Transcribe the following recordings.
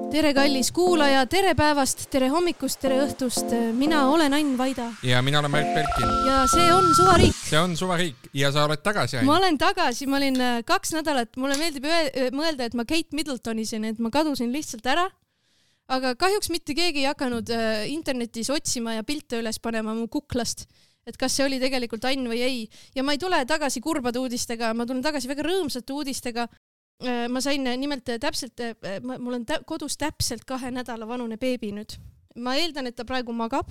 Tere kallis kuulaja, tere päevast, tere hommikust, tere õhtust. Mina olen Ain Vaida. Ja mina olen Märt Belkin. Ja see on Suvariik. See on Suvariik ja sa oled tagasi, Ain. Ma olen tagasi, ma olin 2 nädalat. Mulle meeldib mõelda, et ma Kate Middletonisin, et ma kadusin lihtsalt ära. Aga kahjuks mitte keegi ei hakanud internetis otsima ja pilte üles panema mu kuklast. Et kas see oli tegelikult Ain või ei. Ja ma ei tule tagasi kurbade uudistega, ma tulen tagasi väga rõõmsate uudistega. Ma sain nimelt täpselt, mul on kodus täpselt 2 nädala vanune beebi nüüd. Ma eeldan, et ta praegu magab,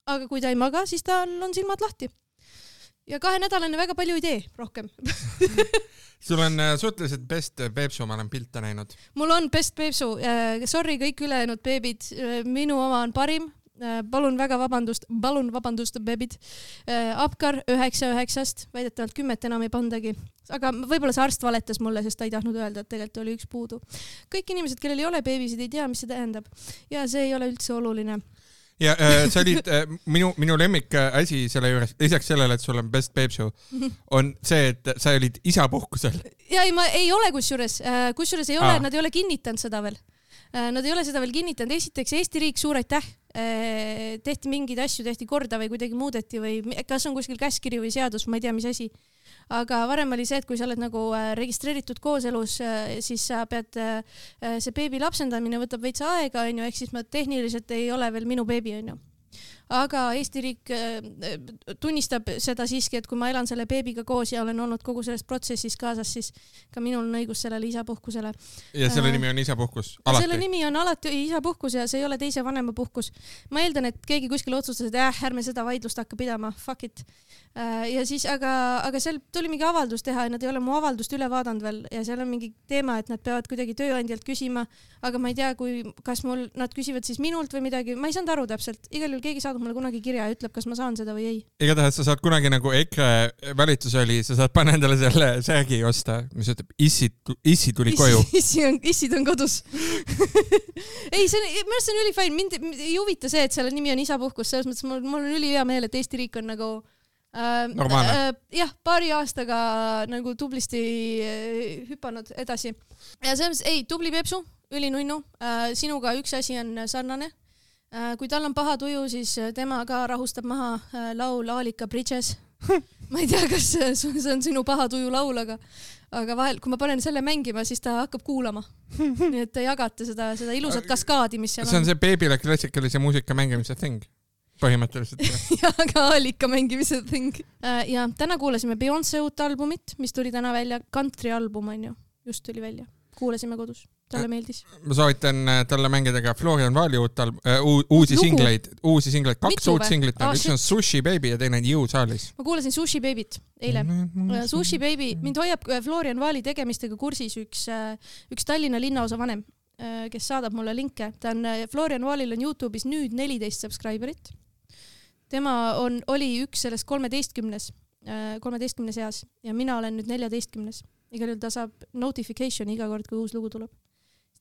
aga kui ta ei maga, siis tal on silmad lahti. Ja 2 nädalane väga palju ei tee rohkem. Sul on suhteliselt best beepsu, ma olen pilte näinud. Mul on best beepsu. Sorry kõik ülejäänud beebid. Minu oma on parim. Palun vabandust, beebid. Apkar 9-9-st, väidetavalt 10 enam ei pandagi. Aga võib-olla see arst valetas mulle, sest ta ei tahtnud öelda, et tegelikult oli 1 puudu. Kõik inimesed, kellel ei ole beebisid, ei tea, mis see tähendab. Ja see ei ole üldse oluline. Ja sa olid, minu lemmik asi selle juures, lisaks sellele, et sul on best beepsu, on see, et sa olid isapuhkusel. Ja ma ei ole kusjuures ei ole, nad ei ole kinnitanud seda veel. Nad ei ole seda veel kinnitanud. Esiteks Eesti riik suur aitäh. Tehti mingeid asju, tehti korda või kuidagi muudeti või kas on kuskil käskiri või seadus, ma ei tea, mis asi. Aga varem oli see, et kui sa oled nagu registreeritud kooselus, siis sa pead, see beebi lapsendamine võtab veits aega, ehk siis ma tehniliselt ei ole veel minu beebi, aga Eesti riik tunnistab seda siiski, et kui ma elan selle beebiga koos ja olen olnud kogu selles protsessis kaasas, siis ka minul on õigus sellele isapuhkusele. Ja selle nimi on isapuhkus? Alati? Selle nimi on alati isapuhkus ja see ei ole teise vanema puhkus. Ma eeldan, et keegi kuskil otsustas, et ärme seda vaidlust hakka pidama, fuck it. Ja siis, aga seal tuli mingi avaldus teha ja nad ei ole mu avaldust üle vaadanud veel ja seal on mingi teema, et nad peavad kuidagi tööandjalt küsima, aga ma ei tea, kas nad küsivad siis minult või midagi, ma ei saanud aru täpselt. Igal juhul keegi saadab mulle kunagi kirja ja ütleb, kas ma saan seda või ei. Igatahes sa saad kunagi nagu EKRE valitsus oli, sa saad panna endale selle särgi osta, mis ütleb, issi tuli koju. Issid on kodus. Ei, minu arust see on ülifine. Mind ei huvita see, et selle nimi on isapuhkus, selles mõttes mul on ülihea meel, et Eesti riik on nagu jah, paari aastaga nagu tublisti hüpanud edasi. Ja selles, tubli Pepsu, ülinunnu. Sinuga üks asi on sarnane. Kui tal on paha tuju, siis tema ka rahustab maha laul Aalika Bridges. Ma ei tea, kas see on sinu paha tuju laul, aga vahel, kui ma panen selle mängima, siis ta hakkab kuulama. Nii et te jagate seda ilusat kaskaadi, mis seal on. See on see beebile klassikalise muusika mängimise thing. Põhimõtteliselt. Ja ka Aalika mängimise thing. Ja täna kuulasime Beyoncé uut albumit, mis tuli täna välja. Country album on ju. Just tuli välja. Kuulasime kodus. Talle meeldis. Ma soovitan talle mängida ka Florian Valli uusi singleid. 2 uut singlit. Üks on Sushi Baby ja teine on You saalis. Ma kuulasin Sushi Babyt eile. Sushi Baby. Mind hoiab Florian Valli tegemistega kursis üks Tallinna linnaosa vanem, kes saadab mulle linke. Florian Vallil on YouTube'is nüüd 14 subscriberit. Tema oli üks sellest 13 seas ja mina olen nüüd 14. Igal juhul ta saab notification iga kord, kui uus lugu tuleb.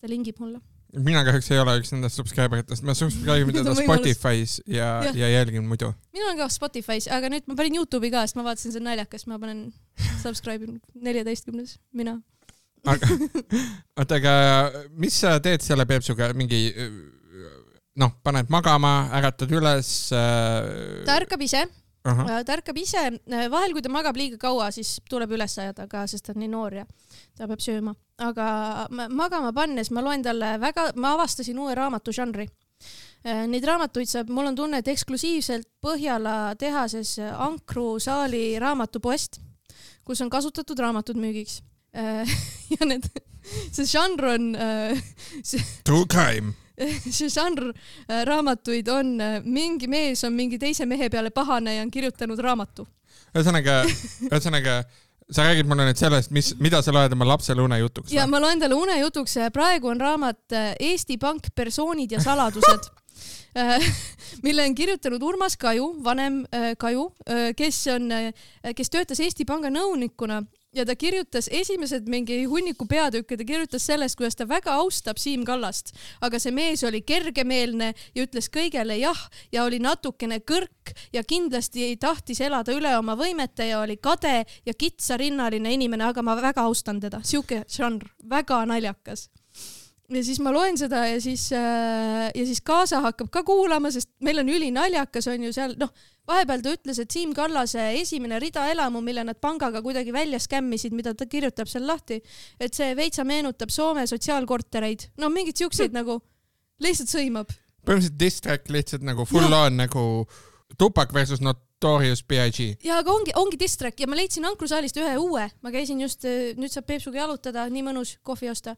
Ta lingib mulle. Mina kahjuks ei ole üks nendest subscriberitest. Ma subscribe'in teda Spotify's ja jälgin muidu. Mina olen ka Spotify's, aga nüüd ma panin YouTube'i ka, sest ma vaatasin see naljakas. Ma panen subscribe'in 14. Mina. Aga mis sa teed selle Peepsuga? Mingi paned magama, äratad üles? Ta ärkab ise. Vahel, kui ta magab liiga kaua, siis tuleb üles ajada ka, sest ta on nii noor ja ta peab sööma. Aga magama pannes ma loen talle ma avastasin uue raamatu žanri. Neid raamatuid saab, mul on tunne, et eksklusiivselt Põhjala tehases Ankru saali raamatupoest, kus on kasutatud raamatud müügiks. Ja see žanr on True crime. See žanr raamatuid on mingi mees on mingi teise mehe peale pahane ja on kirjutanud raamatu. Ühesõnaga, sa räägid mulle nüüd sellest, mida sa loed oma lapsele unejutuks? Ja ma loen talle unejutuks. Praegu on raamat Eesti Pank persoonid ja saladused, mille on kirjutanud Urmas Kaju, vanem Kaju, kes töötas Eesti Panga nõunikuna. Ja ta kirjutas esimesed mingi hunniku peatükke, ta kirjutas sellest, kuidas ta väga austab Siim Kallast, aga see mees oli kergemeelne ja ütles kõigele jah ja oli natukene kõrk ja kindlasti ei tahtis elada üle oma võimete ja oli kade ja kitsarinnaline inimene, aga ma väga austan teda. Siuke žanr, väga naljakas. ja siis ma loen seda ja siis kaasa hakkab ka kuulama, sest meil on ülinaljakas on ju seal, vahepeal ta ütles, et Siim Kallase esimene rida elamu, mille nad pangaga kuidagi välja skämmisid, mida ta kirjutab seal lahti, et see veitsa meenutab Soome sotsiaalkortereid. Mingid siukseid nagu lihtsalt sõimab. Põhimõtteliselt distrack lihtsalt nagu full on nagu Tupac versus Notorious B.I.G. Ja aga ongi distrack ja ma leidsin Ankrusaalist ühe uue. Ma käisin just, nüüd saab Peepsuga jalutada, nii mõnus kohvi osta,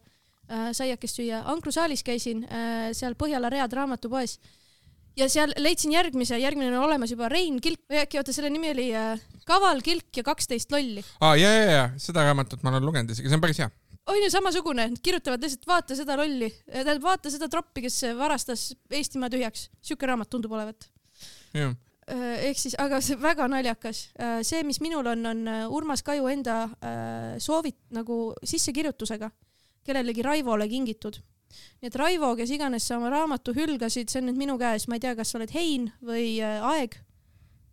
saiakest süüa. Ankrusaalis käisin seal Põhjala Read raamatupoes ja seal leidsin järgmine on olemas juba Rein Kilk, või äkki oota, selle nimi oli Kaval Kilk ja 12 lolli. Ja, seda raamatut ma olen lugenud isegi, see on päris hea. On ju samasugune, kirjutavad lihtsalt vaata seda lolli, vaata seda troppi, kes varastas Eestimaa tühjaks. Siuke raamat tundub olevat. Jah. Ehk siis, aga see väga naljakas. See, mis minul on Urmas Kaju enda soovit nagu sissekirjutusega, kellelegi Raivole kingitud. Nii et Raivo, kes iganes sa oma raamatu hülgasid, see on nüüd minu käes. Ma ei tea, kas sa oled Hein või Aeg,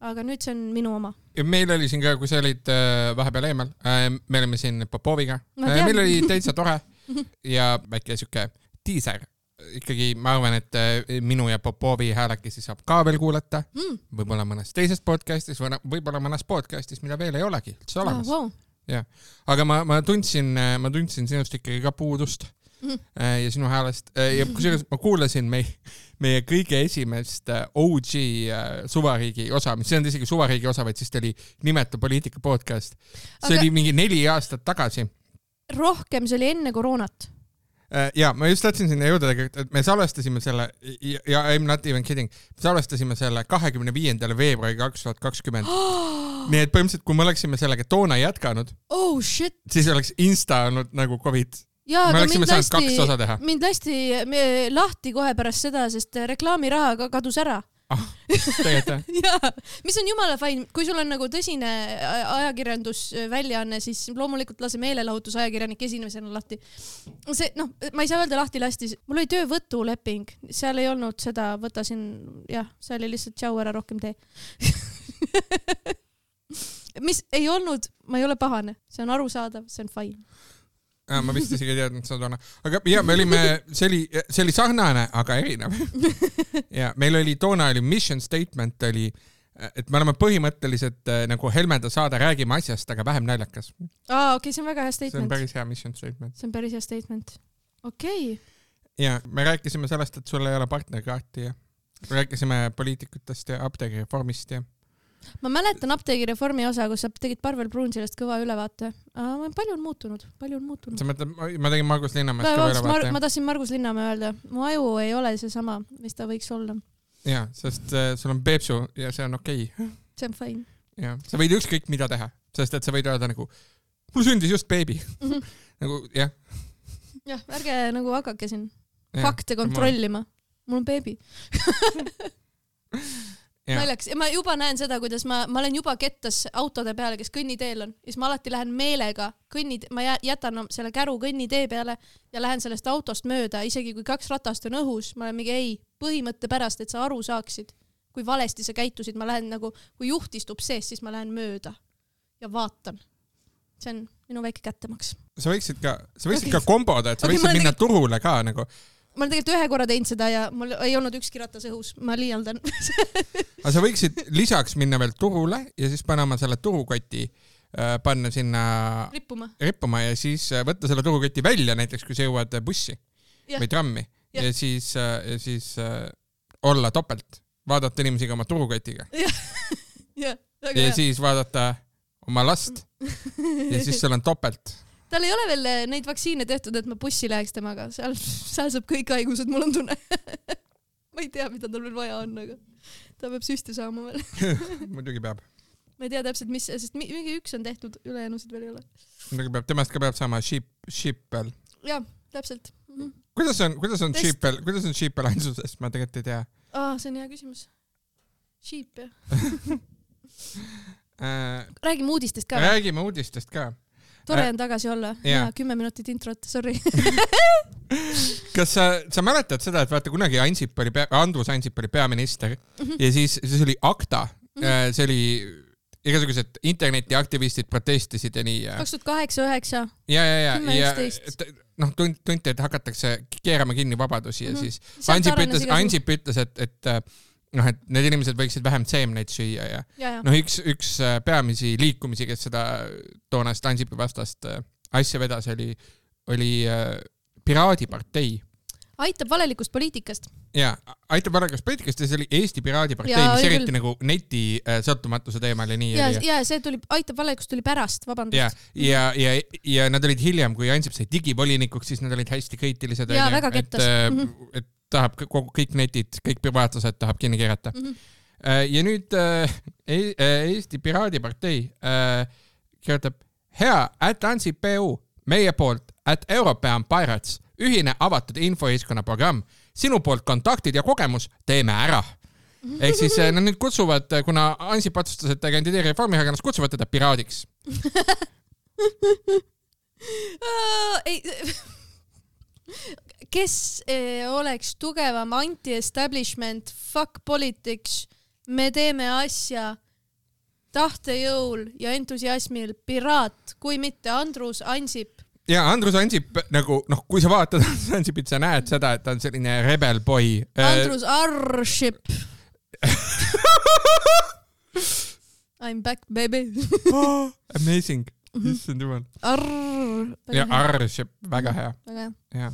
aga nüüd see on minu oma. Ja meil oli siin ka, kui sa olid vahepeal eemal, me olime siin Popoviga. Meil oli täitsa tore ja väike siuke teaser. Ikkagi ma arvan, et minu ja Popovi häälekesi saab ka veel kuulata. Võib-olla mõnes teises podcastis, võib-olla mõnes podcastis, mida veel ei olegi üldse olemas. Wow. Ja. Aga ma tundsin sinust ikkagi ka puudust ja sinu häälest. Ja kusjuures ma kuulasin meie kõige esimest OG Suvariigi osa, mis ei olnud isegi Suvariigi osa, vaid siis ta oli Nimeta poliitika podcast. See oli mingi 4 aastat tagasi. Rohkem, see oli enne koroonat. Ja ma just tahtsin sinna jõuda, et me salvestasime selle, ja I'm not even kidding, me salvestasime selle 25. veebruari 2020. Nii et põhimõtteliselt, kui me oleksime sellega toona jätkanud, siis oleks Insta olnud nagu COVID. Ja, me oleksime saanud 2 osa teha. Mind lasti lahti kohe pärast seda, sest reklaamiraha kadus ära. Ja, mis on jumala fine, kui sul on nagu tõsine ajakirjandusväljaanne, siis loomulikult lase meelelahutusajakirjanik esimesena lahti. See, ma ei saa öelda lahti lastis. Mul oli töövõtuleping, seal ei olnud seda, võtasin, see oli lihtsalt tšau ära rohkem tee. Mis ei olnud, ma ei ole pahane, see on arusaadav, see on fine. Ma vist isegi ei teadnud seda toona. Aga me olime, see oli sarnane, aga erinev. Ja meil oli toona mission statement oli, et me oleme põhimõtteliselt nagu Helmeda saade räägime asjast, aga vähem naljakas. Okei, see on väga hea statement. See on päris hea mission statement. See on päris hea statement. Okei. Ja me rääkisime sellest, et sul ei ole partnerkaarti ja rääkisime poliitikutest ja apteegireformist ja ma mäletan apteegireformi osa, kus sa tegid Parvel Pruunsilast kõva ülevaate. Palju on muutunud. Sa mõtled, ma tegin Margus Linnamäest kõva ülevaate. Ma tahtsin Margus Linnamäe öelda. Mu aju ei ole see sama, mis ta võiks olla. Ja, sest sul on Peepsu ja see on okei. See on fine. Ja, sa võid ükskõik mida teha, sest et sa võid öelda nagu, mul sündis just beebi. Nagu, jah. Jah, ärge nagu hakake siin fakte kontrollima. Mul on beebi. Naljaks. Ja ma juba näen seda, kuidas ma olen juba kettas autode peale, kes kõnniteel on. Ja siis ma alati lähen meelega, ma jätan selle käru kõnnitee peale ja lähen sellest autost mööda, isegi kui 2 ratast on õhus. Ma olen mingi põhimõtte pärast, et sa aru saaksid, kui valesti sa käitusid. Ma lähen nagu, kui juht istub sees, siis ma lähen mööda ja vaatan. See on minu väike kättemaks. Sa võiksid ka komboda, et sa võiksid minna turule ka nagu. Ma olen tegelikult 1 korra teinud seda ja mul ei olnud ükski ratas õhus. Ma liialdan. Aga sa võiksid lisaks minna veel turule ja siis panema selle turukoti, panna sinna rippuma ja siis võtta selle turukoti välja, näiteks kui sa jõuad bussi või trammi ja siis olla topelt. Vaadata inimesiga oma turukotiga. Ja siis vaadata oma last ja siis seal on topelt. Tal ei ole veel neid vaktsiine tehtud, et ma bussi läheks temaga. Seal saab kõik haigused, mul on tunne. Ma ei tea, mida tal veel vaja on, aga ta peab süsti saama veel. Muidugi peab. Ma ei tea täpselt, mis, sest mingi 1 on tehtud, ülejäänusid veel ei ole. Muidugi peab, temast ka peab saama sheepel. Jaa, täpselt. Kuidas on sheepel ainsusest? Ma tegelikult ei tea. See on hea küsimus. Sheep, jah. Räägime uudistest ka. Tore on tagasi olla. Ja 10 minutit introt, sorry. Kas sa mäletad seda, et vaata kunagi Andrus Ansip oli peaminister ja siis oli ACTA. See oli igasugused internetiaktivistid protestisid ja nii. 2008, 2009. Ja 10-11. tunti, et hakatakse keerama kinni vabadusi ja siis Ansip ütles, et need inimesed võiksid vähem seemneid süüa ja. Üks peamisi liikumisi, kes seda toonast Ansipi vastast asja vedas, oli Piraadipartei. Aitab valelikust poliitikast. Ja, aitab valelikust poliitikast ja see oli Eesti Piraadipartei, mis eriti nagu neti sõltumatuse teemal ja nii. Ja see aitab valelikust tuli pärast, vabandust. Ja nad olid hiljem, kui Ansip sai digivolinikuks, siis nad olid hästi kriitilised. Ja, väga kettas. Et tahab kõik netid, kõik privaatlased tahab kinni keerata. Ja nüüd Eesti Piraadipartei kirjutab hea @Ansip.eu, meie poolt @European Pirates, ühine avatud infoühiskonna programm, sinu poolt kontaktid ja kogemus, teeme ära. Ehk siis nad nüüd kutsuvad, kuna Ansip otsustas, et ta kandideeri Reformierakonnas, kutsuvad teda piraadiks. Kes oleks tugevam anti-establishment, fuck politics, me teeme asja tahtejõul ja entusiasmil piraat, kui mitte Andrus Ansip. Ja Andrus Ansip, nagu, kui sa vaatad Ansipit, sa näed seda, et ta on selline rebel boy. Andrus Arship. I'm back, baby. Amazing. Ja Arship, väga hea. Väga hea.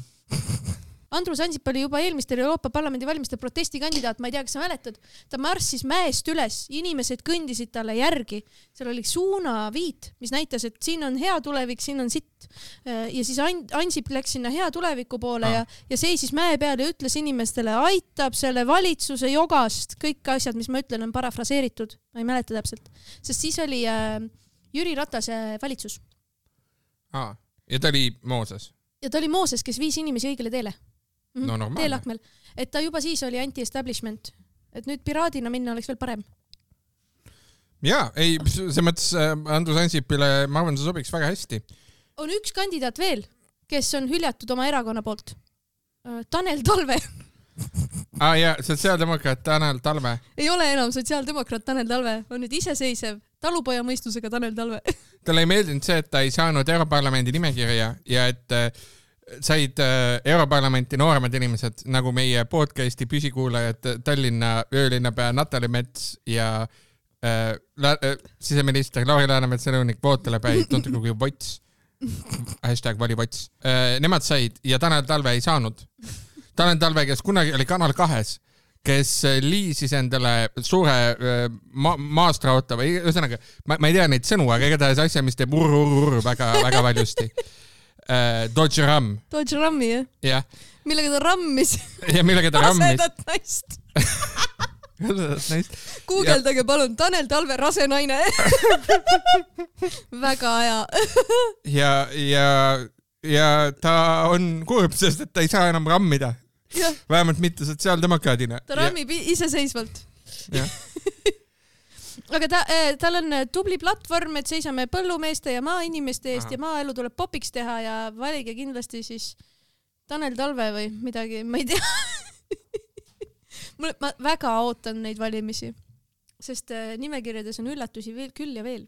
Andrus Ansip oli juba eelmistel Euroopa Parlamendi valimiste protestikandidaat, ma ei tea, kas sa mäletad. Ta marssis mäest üles, inimesed kõndisid talle järgi. Seal oli suunaviit, mis näitas, et siin on hea tulevik, siin on sitt. Ja siis Ansip läks sinna hea tuleviku poole ja seisis mäe peal ja ütles inimestele, aitab selle valitsuse jogast. Kõik asjad, mis ma ütlen, on parafraseeritud. Ma ei mäleta täpselt. Sest siis oli Jüri Ratase valitsus. Ja ta oli Mooses. Ja ta oli Mooses, kes viis inimesi õigele teele. No normaalne. Teelakmel. Et ta juba siis oli anti-establishment. Et nüüd piraadina minna oleks veel parem. Jaa, ei, see mõttes Andrus Ansipile, ma arvan, see sobiks väga hästi. On üks kandidaat veel, kes on hüljatud oma erakonna poolt. Tanel Talve. Ja, sotsiaaldemokraat Tanel Talve. Ei ole enam sotsiaaldemokraat Tanel Talve. On nüüd iseseisev talupoja mõistusega Tanel Talve. Talle ei meeldinud see, et ta ei saanud Europarlamendi nimekirja ja et said Europarlamenti nooremad inimesed, nagu meie podcasti püsikuulajad Tallinna öölinnapea Natali Mets ja siseminister Lauri Läänemetsa nõunik Vootele päi, tuntud kui Vots. #valivots. Nemad said ja Tanel Talve ei saanud. Tanel Talve, kes kunagi oli Kanal 2, kes liisis endale suure maastrauta või ühesõnaga, ma ei tea neid sõnu, aga igatahes asja, mis teeb väga valjusti. Dodge Ram. Dodge Rami, jah? Jah. Millega ta rammis? Ja millega ta rammis? Rasedat naist. Rasedat naist. Guugeldage palun, Tanel Talve rase naine. Väga hea. Ja ta on kurb, sest et ta ei saa enam rammida. Ja. Vähemalt mitte sotsiaaldemokraadina. Ta rammib iseseisvalt. Jah. Aga tal on tubli platvorm, et seisame põllumeeste ja maainimeste eest ja maaelu tuleb popiks teha ja valige kindlasti siis Tanel Talve või midagi, ma ei tea. Ma väga ootan neid valimisi, sest nimekirjades on üllatusi veel, küll ja veel.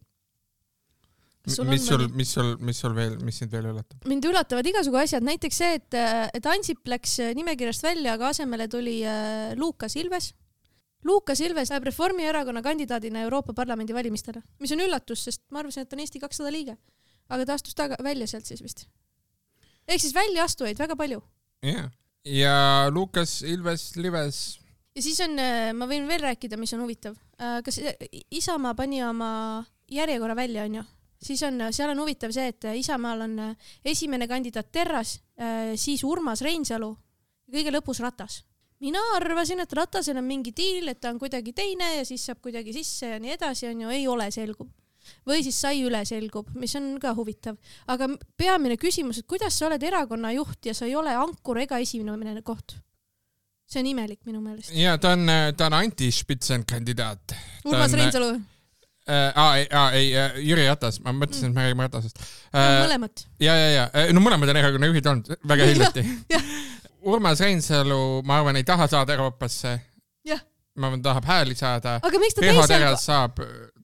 Mis sul veel, mis sind veel üllatab? Mind üllatavad igasugu asjad, näiteks see, et Ansip läks nimekirjast välja, aga asemele tuli Lukas Ilves. Lukas Ilves läheb Reformierakonna kandidaadina Euroopa Parlamendi valimistele, mis on üllatus, sest ma arvasin, et on Eesti 200 liige. Aga ta astus välja sealt siis vist. Ehk siis välja astujaid väga palju. Yeah. Ja Lukas Ilves lives. Ja siis on, ma võin veel rääkida, mis on huvitav. Kas Isamaa pani oma järjekorra välja, on ju? Siis seal on huvitav see, et Isamaal on esimene kandidaat Terras, siis Urmas Reinsalu ja kõige lõpus Ratas. Mina arvasin, et Ratasel on mingi diil, et ta on kuidagi teine ja siis saab kuidagi sisse ja nii edasi, on ju, ei ole selgub. Või siis sai üle selgub, mis on ka huvitav. Aga peamine küsimus, et kuidas sa oled erakonna juht ja sa ei ole ankur ega esimene koht? See on imelik minu meelest. Ja, ta on anti-spitsen kandidaat. Urmas Reinsalu? Ei, Jüri Ratas, ma mõtlesin, et me räägime Ratasest. Mõlemad. Ja. No mõlemad on erakonna juhid olnud väga hiljati. Urmas Reinsalu, ma arvan, ei taha saada Euroopasse. Jah. Ma arvan, tahab hääli saada. Aga miks ta Riho Teras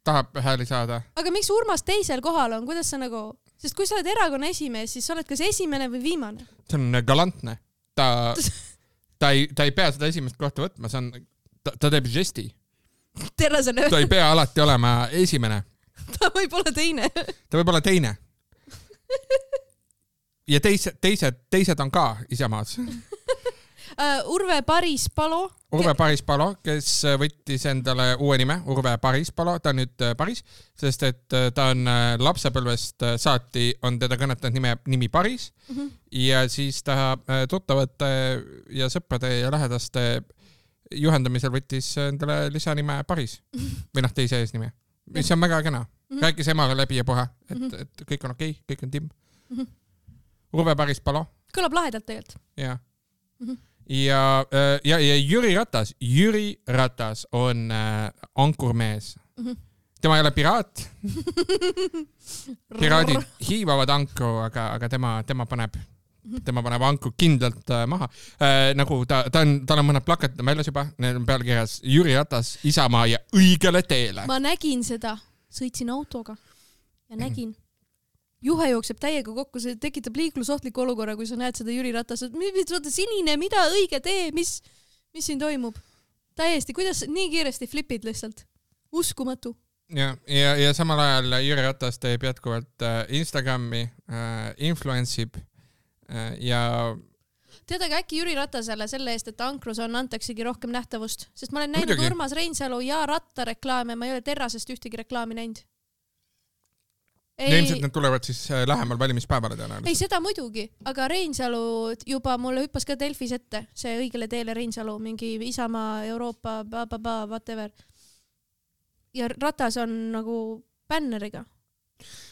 tahab hääli saada. Aga miks Urmas teisel kohal on? Kuidas sa nagu... Sest kui sa oled erakonna esimees, siis sa oled kas esimene või viimane. See on galantne. Ta ei pea seda esimest kohta võtma, ta teeb žesti. Ta ei pea alati olema esimene. Ta võib olla teine. Ja teised on ka Isamaas. Urve Parispalo, kes võttis endale uue nime, Urve Parispalo, ta on nüüd Paris, sest et ta on lapsepõlvest saati, on teda kõnetanud nimi Paris ja siis ta tuttavate ja sõprade ja lähedaste juhendamisel võttis endale lisanime Paris või teise eesnime, mis on väga kena. Rääkis emaga läbi ja puha, et kõik on okei, kõik on timm. Urve Parispalo. Kõlab lahedalt tegelikult. Jah. Ja Jüri Ratas on ankurmees. Tema ei ole piraat. Piraadid hiivavad ankru, aga tema paneb ankru kindlalt maha. Nagu tal on mõned plakatid väljas juba, need on pealkirjas Jüri Ratas, Isamaa ja õigele teele. Ma nägin seda, sõitsin autoga ja nägin. Juhe jookseb täiega kokku, see tekitab liiklusohtliku olukorra, kui sa näed seda Jüri Ratas, et sinine, mida õige tee, mis siin toimub? Täiesti, kuidas nii kiiresti flipid lihtsalt? Uskumatu. Ja samal ajal Jüri Ratas teeb jätkuvalt Instagrami, influensib ja... Teadagi äkki Jüri Ratasele selle eest, et Ankrus antaksegi rohkem nähtavust, sest ma olen näinud Urmas Reinsalu ja Ratta reklaame, ma ei ole Terrasest ühtegi reklaami näinud. Ilmselt need tulevad siis lähemal valimispäevale tõenäoliselt. Ei, seda muidugi, aga Reinsalu juba mulle hüppas ka Delfis ette, see õigele teele Reinsalu, mingi Isamaa, Euroopa, whatever. Ja Ratas on nagu bänneriga.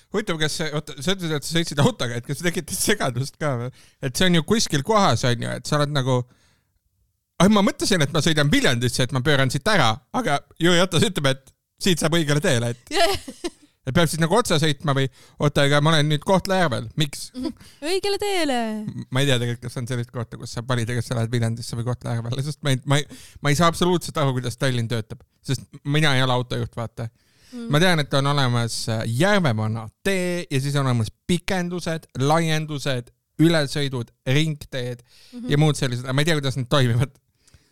Huvitav, kas sa ütlesid, et sa sõitsid autoga, et kas tekitas segadust ka või? Et see on ju kuskil kohas, on ju, et sa oled nagu... ma mõtlesin, et ma sõidan Viljandisse, et ma pööran siit ära, aga Jüri Ratas ütleb, et siit saab õigele teele, et peab siis nagu otsa sõitma või aga ma olen nüüd Kohtla-Järvel. Miks? Õigele teele. Ma ei tea tegelikult, kas on sellist kohta, kus saab valida, kas sa lähed Viljandisse või Kohtla-Järvele, sest ma ei saa absoluutselt aru, kuidas Tallinn töötab, sest mina ei ole autojuht, vaata. Ma tean, et on olemas Järvevana tee ja siis on olemas pikendused, laiendused, ülesõidud, ringteed ja muud sellised, aga ma ei tea, kuidas need toimivad.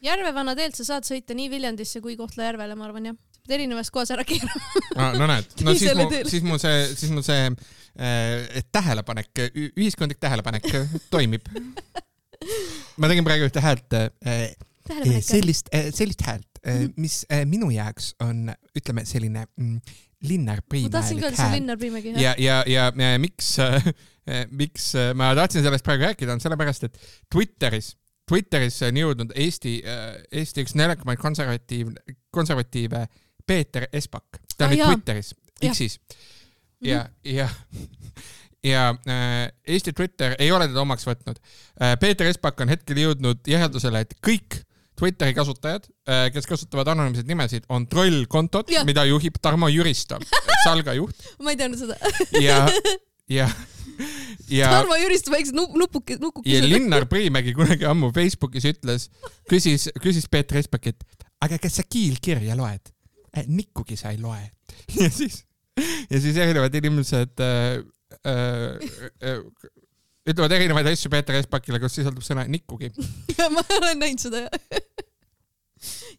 Järvevana teelt sa saad sõita nii Viljandisse kui Kohtla-Järvele, ma arvan, jah. Erinevast kohas ära keerama. No näed, siis mu see tähelepanek, ühiskondlik tähelepanek toimib. Ma tegin praegu ühte häält, sellist häält, mis minu jaoks on, ütleme, selline Linnar Priimäelik hääl. Ma tahtsin ka see Linnar Priimägi hääl. Ja miks ma tahtsin sellest praegu rääkida, on sellepärast, et Twitteris on jõudnud Eesti üks neljakamaid konservatiive Peeter Espak. Ta on nüüd Twitteris, X-is. Ja Eesti Twitter ei ole teda omaks võtnud. Peeter Espak on hetkel jõudnud järeldusele, et kõik Twitteri kasutajad, kes kasutavad anonüümseid nimesid, on trollkontod, mida juhib Tarmo Jüristo, Salga juht. Ma ei teadnud seda. Ja Tarmo Jüristo väiksed nupukesed. Ja Linnar Priimägi kunagi ammu Facebookis küsis Peeter Espak, et aga kas sa kiilkirja loed? Nikkugi sa ei loe. Ja siis erinevad inimesed ütlevad erinevaid asju Peeter Espakile, kus sisaldub sõna nikkugi. Ma olen näinud seda.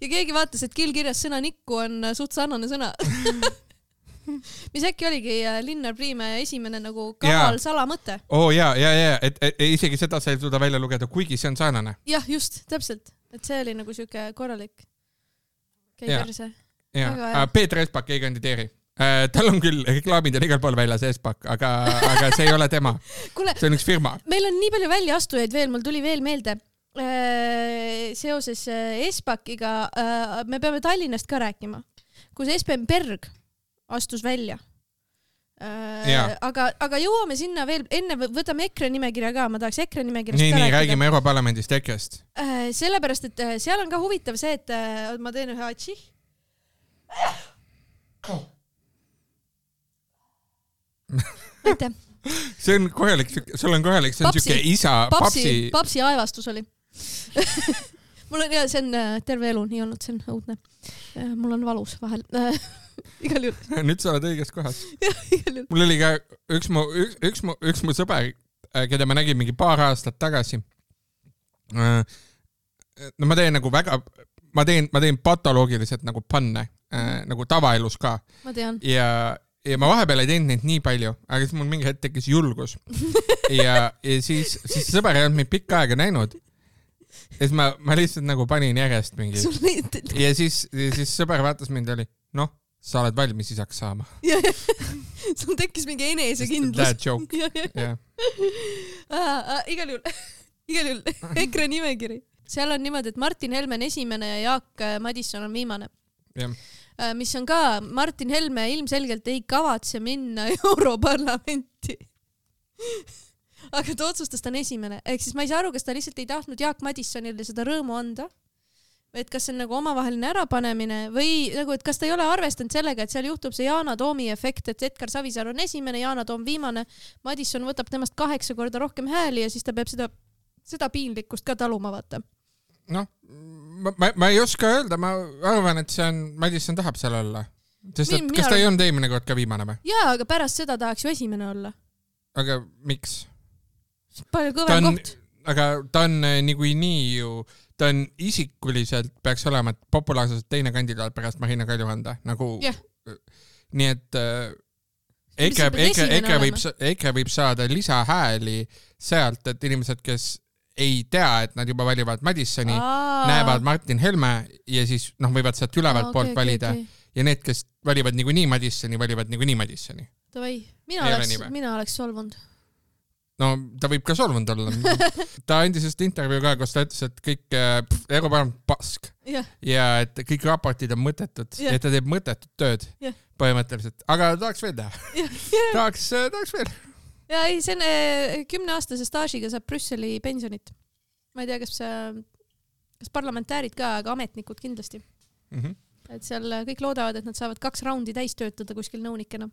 Ja keegi vaatas, et kiilkirjas sõna nikku on suht sarnane sõna. Mis äkki oligi Linnar Priimäe esimene nagu kaval salamõte. Et isegi seda sa ei suuda välja lugeda, kuigi see on sarnane. Jah, just, täpselt. Et see oli nagu siuke korralik käiverse. Peeter Espak ei kandideeri. Tal on küll reklaamid ja igal pool väljas Espak, aga see ei ole tema. See on üks firma. Meil on nii palju väljaastujaid veel, mul tuli veel meelde. Seoses Espakiga me peame Tallinnast ka rääkima, kus Espen Berg astus välja. Aga jõuame sinna veel, enne võtame EKRE nimekirja ka, ma tahaks EKRE nimekirjast ka rääkida. Nii, räägime Europarlamendist EKRE-st. Sellepärast, et seal on ka huvitav see, et ma teen ühe atši. Aitäh. See on korralik, sul on korralik, see on siuke isa, papsi aevastus oli. Mul on, see on terve elu nii olnud, see on õudne. Mul on valus vahel. igal juhul. Nüüd sa oled õiges kohas. Jah, igal juhul. Mul oli ka üks mu sõber, keda ma nägin mingi paar aastat tagasi. No ma teen nagu väga, ma teen patoloogiliselt nagu panne, nagu tavaelus ka. Ma tean. Ja ma vahepeal ei teinud neid nii palju, aga siis mul mingi hetk tekkis julgus. Ja siis sõber ei olnud mind pikka aega näinud. Ja siis ma lihtsalt nagu panin järjest mingi. Ja siis sõber vaatas mind ja oli, noh, sa oled valmis isaks saama. Sul tekkis mingi enesekindlus. That joke. Igal juhul. EKRE nimekiri. Seal on niimoodi, et Martin Helme on esimene ja Jaak Madison on viimane. Mis on ka, Martin Helme ilmselgelt ei kavatse minna Europarlamenti. Aga ta otsustas, ta on esimene. Ehk siis ma ei saa aru, kas ta lihtsalt ei tahtnud Jaak Madisonile seda rõõmu anda. Et kas see on nagu omavaheline ärapanemine või nagu, et kas ta ei ole arvestanud sellega, et seal juhtub see Yana Toomi efekt, et Edgar Savisaar on esimene, Yana Toom viimane, Madison võtab temast 8 korda rohkem hääli ja siis ta peab seda piinlikkust ka taluma vaata. Noh, ma ei oska öelda, ma arvan, et see on, Madison tahab seal olla. Sest et kas ta ei olnud eelmine kord ka viimane või? Jaa, aga pärast seda tahaks ju esimene olla. Aga miks? Palju kõvem koht. Aga ta on nii ju, ta on isikuliselt peaks olema populaarselt teine kandidaat pärast Marina Kaljuranda. Nagu, nii et EKRE võib saada lisahääli sealt, et inimesed, kes ei tea, et nad juba valivad Madisoni, näevad Martin Helme ja siis võivad sealt ülevalt poolt valida. Ja need, kes valivad niikuinii Madisoni, valivad niikuinii Madisoni. Mina oleks solvunud. No ta võib ka solvunud olla. Ta andis just intervjuu ka, kus ta ütles, et kõik Europarlament pask ja et kõik raportid on mõttetud ja ta teeb mõttetut tööd põhimõtteliselt. Aga tahaks veel teha. Tahaks veel. Ja ei, see on 10-aastase staažiga saab Brüsseli pensionit. Ma ei tea, kas parlamentäärid ka, aga ametnikud kindlasti. Et seal kõik loodavad, et nad saavad 2 raundi täis töötada kuskil nõunikena.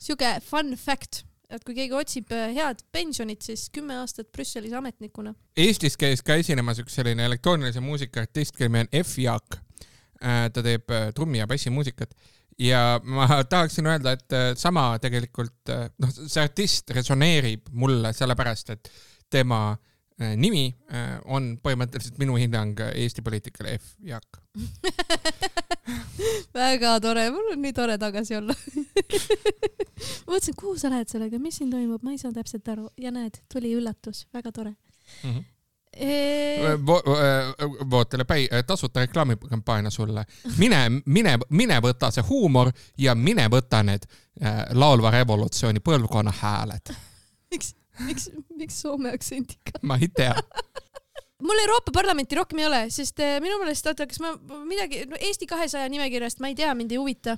Siuke fun fact. Et kui keegi otsib head pensionit, siis 10 aastat Brüsselis ametnikuna. Eestis käis ka esinemas üks selline elektroonilise muusika artist, kelle nimi on F. Jaak. Ta teeb trummi ja bassi muusikat. Ja ma tahaksin öelda, et sama tegelikult, see artist resoneerib mulle sellepärast, et tema nimi on põhimõtteliselt minu hinnang Eesti poliitikale F. Jaak. Väga tore, mul on nii tore tagasi olla. Ma mõtlesin, kuhu sa lähed sellega, mis siin toimub, ma ei saa täpselt aru. Ja näed, tuli üllatus, väga tore. Vootele tasuta reklaamikampaania sulle. Mine võta see huumor ja mine võta need laulva revolutsiooni põlvkonna hääled. Miks Soome aktsendiga? Ma ei tea. Mul Euroopa Parlamenti rohkem ei ole, sest minu meelest, kas ma midagi, Eesti 200 nimekirjast, ma ei tea, mind ei huvita.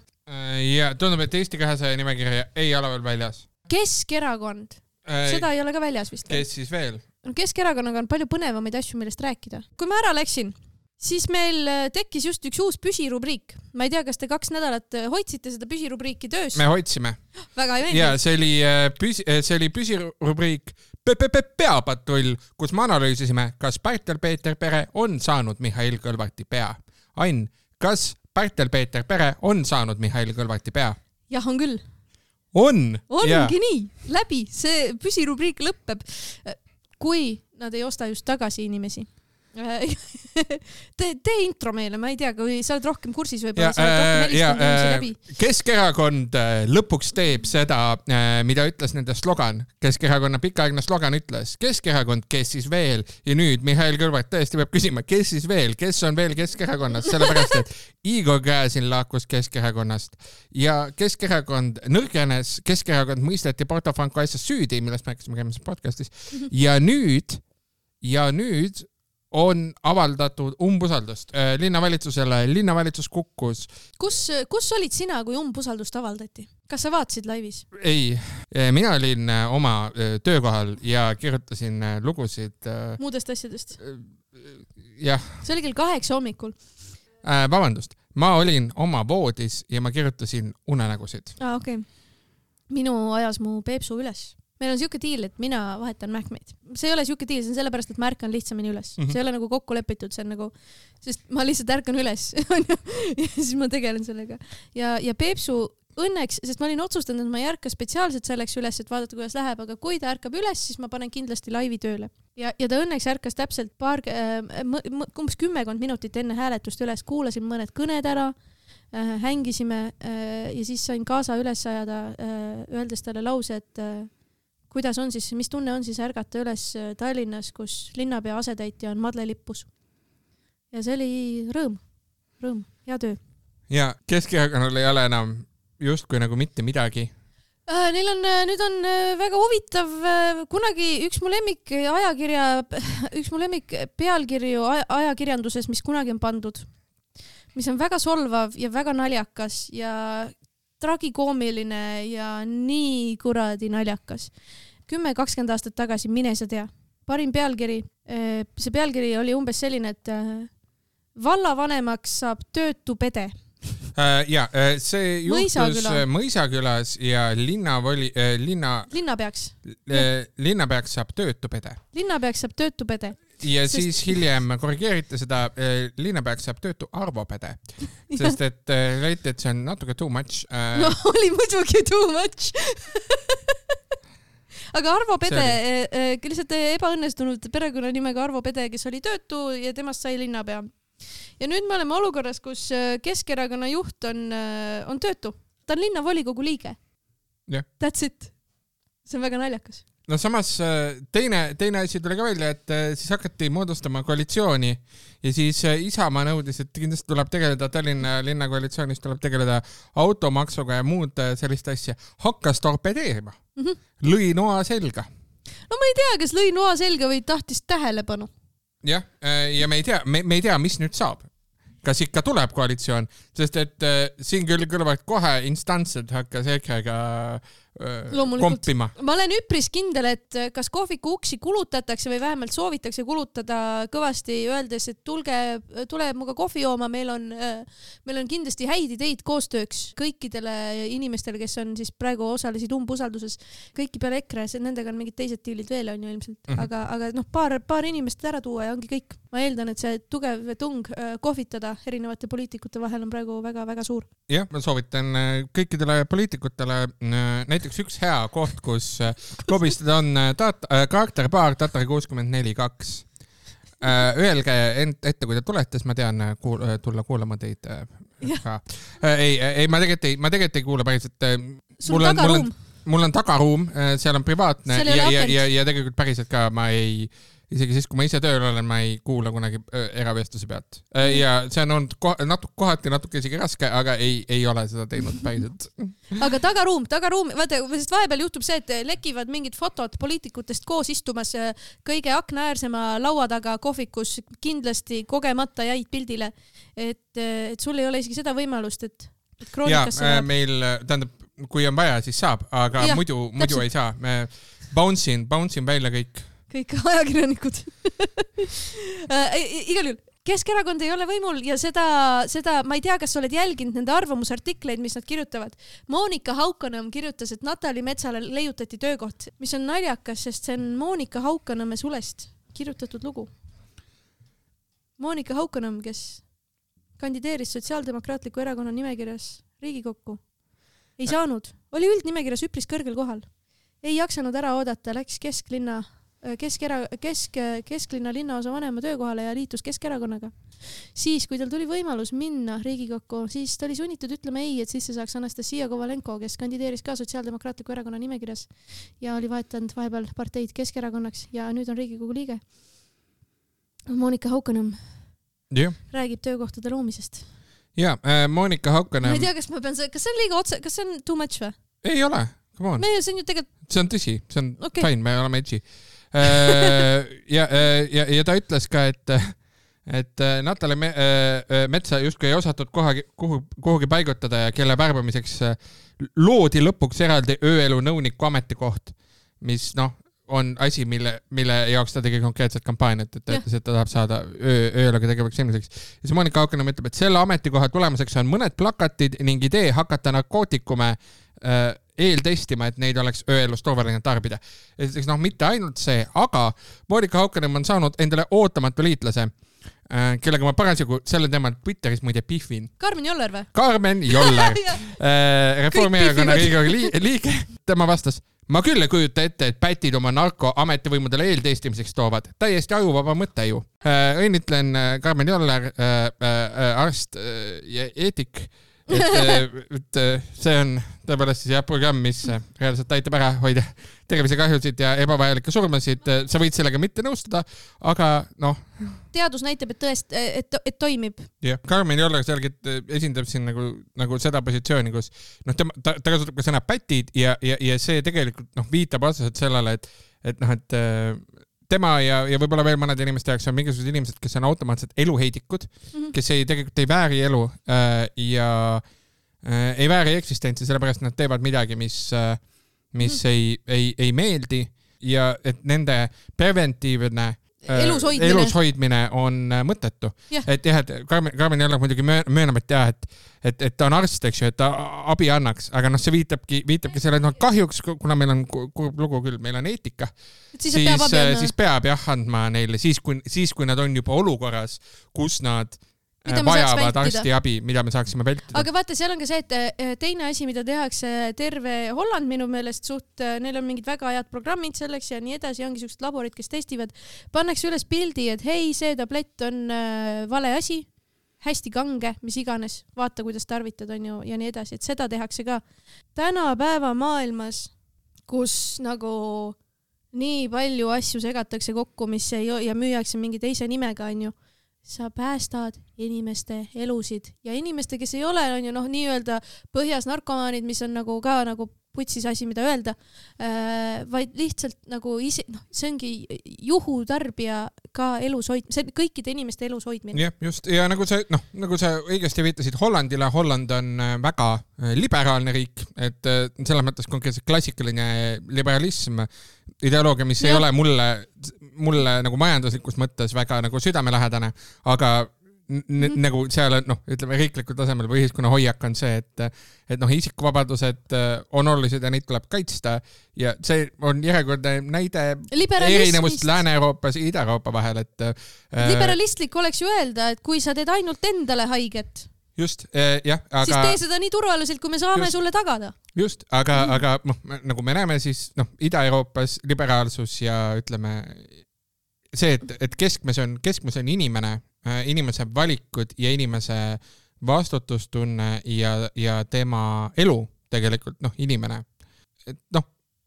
Ja tundub, et Eesti 200 nimekirja ei ole veel väljas. Keskerakond. Seda ei ole ka väljas vist. Kes siis veel? Keskerakonnaga on palju põnevamaid asju, millest rääkida. Kui ma ära läksin, siis meil tekkis just üks uus püsirubriik. Ma ei tea, kas te 2 nädalat hoidsite seda püsirubriiki töös? Me hoidsime. Väga ei meeldi. Ja see oli püsirubriik Peapatrull, kus me analüüsisime, kas Pärtel-Peeter Pere on saanud Mihhail Kõlvarti pea. Ain, kas Pärtel-Peeter Pere on saanud Mihhail Kõlvarti pea? Jah, on küll. Ongi nii. Läbi. See püsirubriik lõppeb. Kui nad ei osta just tagasi inimesi. Tee intro meile, ma ei tea, kui sa oled rohkem kursis võib-olla, sa oled rohkem helistanud inimesi läbi. Keskerakond lõpuks teeb seda, mida ütles nende slogan. Keskerakonna pikaaegne slogan ütles, Keskerakond, kes siis veel? Ja nüüd Mihhail Kõlvart tõesti peab küsima, kes siis veel? Kes on veel Keskerakonnast? Sellepärast, et Igor Gräzin laakus Keskerakonnast ja Keskerakond nõrgenes, Keskerakond mõisteti Porto Franco asjas süüdi, millest me rääkisime käimas podcastis. Ja nüüd on avaldatud umbusaldust linnavalitsusele. Linnavalitsus kukkus. Kus olid sina, kui umbusaldust avaldati? Kas sa vaatasid laivis? Ei. Mina olin oma töökohal ja kirjutasin lugusid. Muudest asjadest? Jah. See oli kell 8 hommikul. Vabandust. Ma olin oma voodis ja ma kirjutasin unenägusid. Okei. Minu ajas mu Peepsu üles. meil on siuke diil, et mina vahetan mähkmeid. See ei ole siuke diil, see on sellepärast, et ma ärkan lihtsamini üles. See ei ole nagu kokku lepitud, see on nagu, sest ma lihtsalt ärkan üles ja siis ma tegelen sellega. Ja Peepsu õnneks, sest ma olin otsustanud, et ma ei ärka spetsiaalselt selleks üles, et vaadata, kuidas läheb, aga kui ta ärkab üles, siis ma panen kindlasti laivi tööle. Ja ta õnneks ärkas täpselt umbes 10 minutit enne hääletust üles, kuulasin mõned kõned ära, hängisime ja siis sain kaasa üles ajada, öeldes talle lause, et kuidas on siis, mis tunne on siis ärgata üles Tallinnas, kus linnapea asetäitja on Madle Lippus. Ja see oli rõõm, hea töö. Ja Keskerakonnal ei ole enam justkui nagu mitte midagi. Nüüd on väga huvitav, kunagi üks mu lemmik pealkirju ajakirjanduses, mis kunagi on pandud, mis on väga solvav ja väga naljakas ja tragikoomiline ja nii kuradi naljakas. 10-20 aastat tagasi, mine sa tea. Parim pealkiri, see pealkiri oli umbes selline, et vallavanemaks saab töötu pede. See juhtus Mõisakülas ja linnapeaks saab töötu pede. Linnapeaks saab töötu pede. Ja siis hiljem korrigeeriti seda, linnapeaks saab töötu Arvo pede, sest et leiti, et see on natuke too much. No oli muidugi too much. Aga Arvo Pede, lihtsalt ebaõnnestunud perekonnanimega Arvo Pede, kes oli töötu ja temast sai linnapea. Ja nüüd me oleme olukorras, kus Keskerakonna juht on töötu. Ta on linnavolikogu liige. Yeah. That's it. See on väga naljakas. No samas teine asi tuli ka välja, et siis hakati moodustama koalitsiooni ja siis Isamaa nõudis, et kindlasti tuleb tegeleda Tallinna linnakoalitsioonis, tuleb tegeleda automaksuga ja muud sellist asja. Hakkas torpedeerima. Lõi noa selga. No ma ei tea, kas lõi noa selga või tahtis tähelepanu. Jah, ja me ei tea, mis nüüd saab. Kas ikka tuleb koalitsioon, sest et siin küll kõlavad kohe instantsed hakkas EKRE-ga kompima. Ma olen üpris kindel, et kas kohviku uksi kulutatakse või vähemalt soovitakse kulutada kõvasti öeldes, et tule muga kohvi jooma, meil on kindlasti häid ideid koostööks kõikidele inimestele, kes on siis praegu osalesid umbusalduses, kõiki peale EKRE, nendega on mingid teised diilid veel on ju ilmselt, aga paar inimest ära tuua ja ongi kõik. Ma eeldan, et see tugev tung kohvitada erinevate poliitikute vahel on praegu väga-väga suur. Jah, ma soovitan kõikidele poliitikutele näiteks üks hea koht, kus lobistada on karakterpaar Tatari 64-2. Öelge ette, kui te tulete, siis ma tean tulla kuulama teid. Ei, ma tegelikult ei kuule päriselt. Mul on tagaruum, seal on privaatne ja tegelikult päriselt ka ma ei... Isegi siis, kui ma ise tööl olen, ma ei kuula kunagi eravestluse pealt. Ja see on olnud kohati natuke isegi raske, aga ei ole seda teinud päriselt. Aga tagaruum, vaata, sest vahepeal juhtub see, et lekivad mingid fotod poliitikutest koos istumas kõige aknaäärsema laua taga kohvikus, kindlasti kogemata jäid pildile, et sul ei ole isegi seda võimalust, et kroonikasse läheb. Meil, tähendab, kui on vaja, siis saab, aga muidu ei saa. Me bounce'in välja kõik ajakirjanikud. Igal juhul, Keskerakond ei ole võimul ja seda ma ei tea, kas oled jälginud nende arvamusartikleid, mis nad kirjutavad. Monika Haukanõmm kirjutas, et Natali Metsale leiutati töökoht, mis on naljakas, sest see on Monika Haukanõmme sulest kirjutatud lugu. Monika Haukanõmm, kes kandideeris Sotsiaaldemokraatliku erakonna nimekirjas Riigikokku, ei saanud, oli üldnimekirjas üpris kõrgel kohal. Ei jaksanud ära oodata, läks kesklinna linnaosa vanema töökohale ja liitus Keskerakonnaga. Siis, kui tal tuli võimalus minna Riigikokku, siis ta oli sunnitud ütlema ei, et sisse saaks Anastasia Kovalenko, kes kandideeris ka Sotsiaaldemokraatliku erakonna nimekirjas ja oli vahetanud vahepeal parteid Keskerakonnaks ja nüüd on Riigikogu liige. Monika Haukanõmm räägib töökohtade loomisest. Ja, Monika Haukanõmm... Ma ei tea, kas see on liiga otse, kas see on too much või? Ei ole, come on. See on ju tegelikult... See on tõsi, see on fine, me oleme edgy. Ja ta ütles ka, et Natali Metsa justkui ei osatud kuhugi paigutada ja kelle värbamiseks loodi lõpuks eraldi ööelu nõuniku ametikoht, mis on asi, mille jaoks ta tegi konkreetset kampaaniat, et ta ütles, et ta tahab saada ööluga tegevaks inimeseks. Ja see Monika Haukanõmm ütleb, et selle ametikoha tulemuseks on mõned plakatid ning idee hakata narkootikume eeltestima, et neid oleks ööelus turvaline tarbida. Esiteks, mitte ainult see, aga Monika Haukanõmm on saanud endale ootamatu liitlase, kellega ma parasjagu selle teemal Twitteris muide pihvin. Karmen Joller või? Karmen Joller, Reformierakonna Riigikogu liige. Tema vastas, ma küll ei kujuta ette, et pätid oma narko ametivõimudele eeltestimiseks toovad. Täiesti ajuvaba mõte ju. Õnnitlen Karmen Joller, arst ja eetik, et see on tõepoolest siis programm, mis reaalselt aitab ära hoida tervisekahjusid ja ebavajalikke surmasid. Sa võid sellega mitte nõustuda, aga teadus näitab, et toimib. Jah, Karmen Joller selgelt esindab siin nagu seda positsiooni, kus ta kasutab ka sõna pätid ja see tegelikult viitab otseselt sellele, et tema ja võib-olla veel mõned inimeste jaoks on mingisugused inimesed, kes on automaatselt eluheidikud, kes tegelikult ei vääri elu ja ei vääri eksistentsi, sellepärast nad teevad midagi, mis ei meeldi ja et nende preventiivne elushoidmine on mõttetu. Et jah, et Karmen Joller muidugi möönab, et ta on arst, eks ju, et ta abi annaks, aga see viitabki selle, et kahjuks, kuna meil on kurb lugu küll, meil on eetika, siis peab andma neile, siis kui nad on juba olukorras, kus nad vajavad arstiabi, mida me saaksime vältida. Aga vaata, seal on ka see, et teine asi, mida tehakse terve Holland minu meelest neil on mingid väga head programmid selleks ja nii edasi, ongi sellised laborid, kes testivad, pannakse üles pildi, et hei, see tablett on vale asi, hästi kange, mis iganes, vaata, kuidas tarvitad on ju ja nii edasi, et seda tehakse ka. Tänapäeva maailmas, kus nagu nii palju asju segatakse kokku, mis ja müüakse mingi teise nimega on ju, sa päästad inimeste elusid ja inimeste, kes ei ole on ju nii-öelda põhjas narkomaanid, mis on nagu ka nagu putsis asi, mida öelda, vaid lihtsalt nagu see ongi juhutarbija ka see kõikide inimeste elus hoidmine. Jah, just. Ja nagu sa õigesti viitasid Hollandile, Holland on väga liberaalne riik, et selles mõttes konkreetselt klassikaline liberalism, ideoloogia, mis ei ole mulle nagu majanduslikus mõttes väga nagu südamelähedane, aga nagu seal ütleme riiklikul tasemel või ühiskonna hoiak on see, et isikuvabadused on olulised ja neid tuleb kaitsta ja see on järjekordne näide erinevust Lääne-Euroopas ja Ida-Euroopa vahel, et liberalistlik oleks ju öelda, et kui sa teed ainult endale haiget, just, jah, aga siis tee seda nii turvaliselt, kui me saame sulle tagada. Just, aga nagu me näeme siis Ida-Euroopas liberaalsus ja ütleme see, et keskmes on inimese valikud ja inimese vastutustunne ja tema elu tegelikult, inimene. Et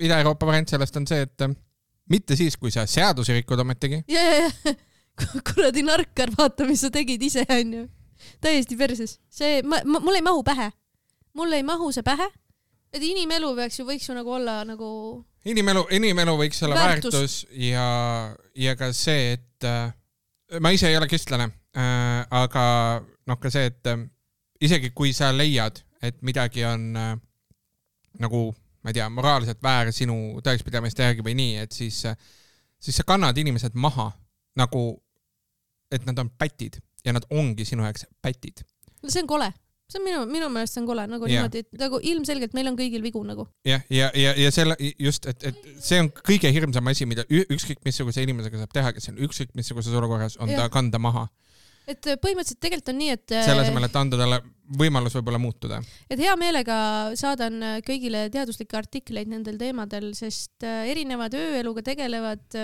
Ida-Euroopa variant sellest on see, et mitte siis, kui sa seadusi rikud ometegi. Kuradi narkar, vaata, mis sa tegid ise, on ju. Täiesti perses. See, mul ei mahu pähe. Mul ei mahu see pähe. Et inimelu võiks ju nagu olla nagu Inimelu võiks olla väärtus ja ka see, et ma ise ei ole kristlane, aga ka see, et isegi kui sa leiad, et midagi on nagu, ma ei tea, moraalselt väär sinu tõekspidamiste järgi või nii, et siis sa kannad inimesed maha nagu, et nad on pätid ja nad ongi sinu jaoks pätid. See on kole. See on minu meelest see on kole, nagu niimoodi, et nagu ilmselgelt meil on kõigil vigu nagu. Ja selle just, et see on kõige hirmsam asi, mida ükskõik missuguse inimesega saab teha, kes on ükskõik missuguses olukorras, on ta kanda maha. Et põhimõtteliselt tegelikult on nii, et selle asemel, et anda talle võimalus võib-olla muutuda. Et hea meelega saadan kõigile teaduslikke artikleid nendel teemadel, sest erinevad ööeluga tegelevad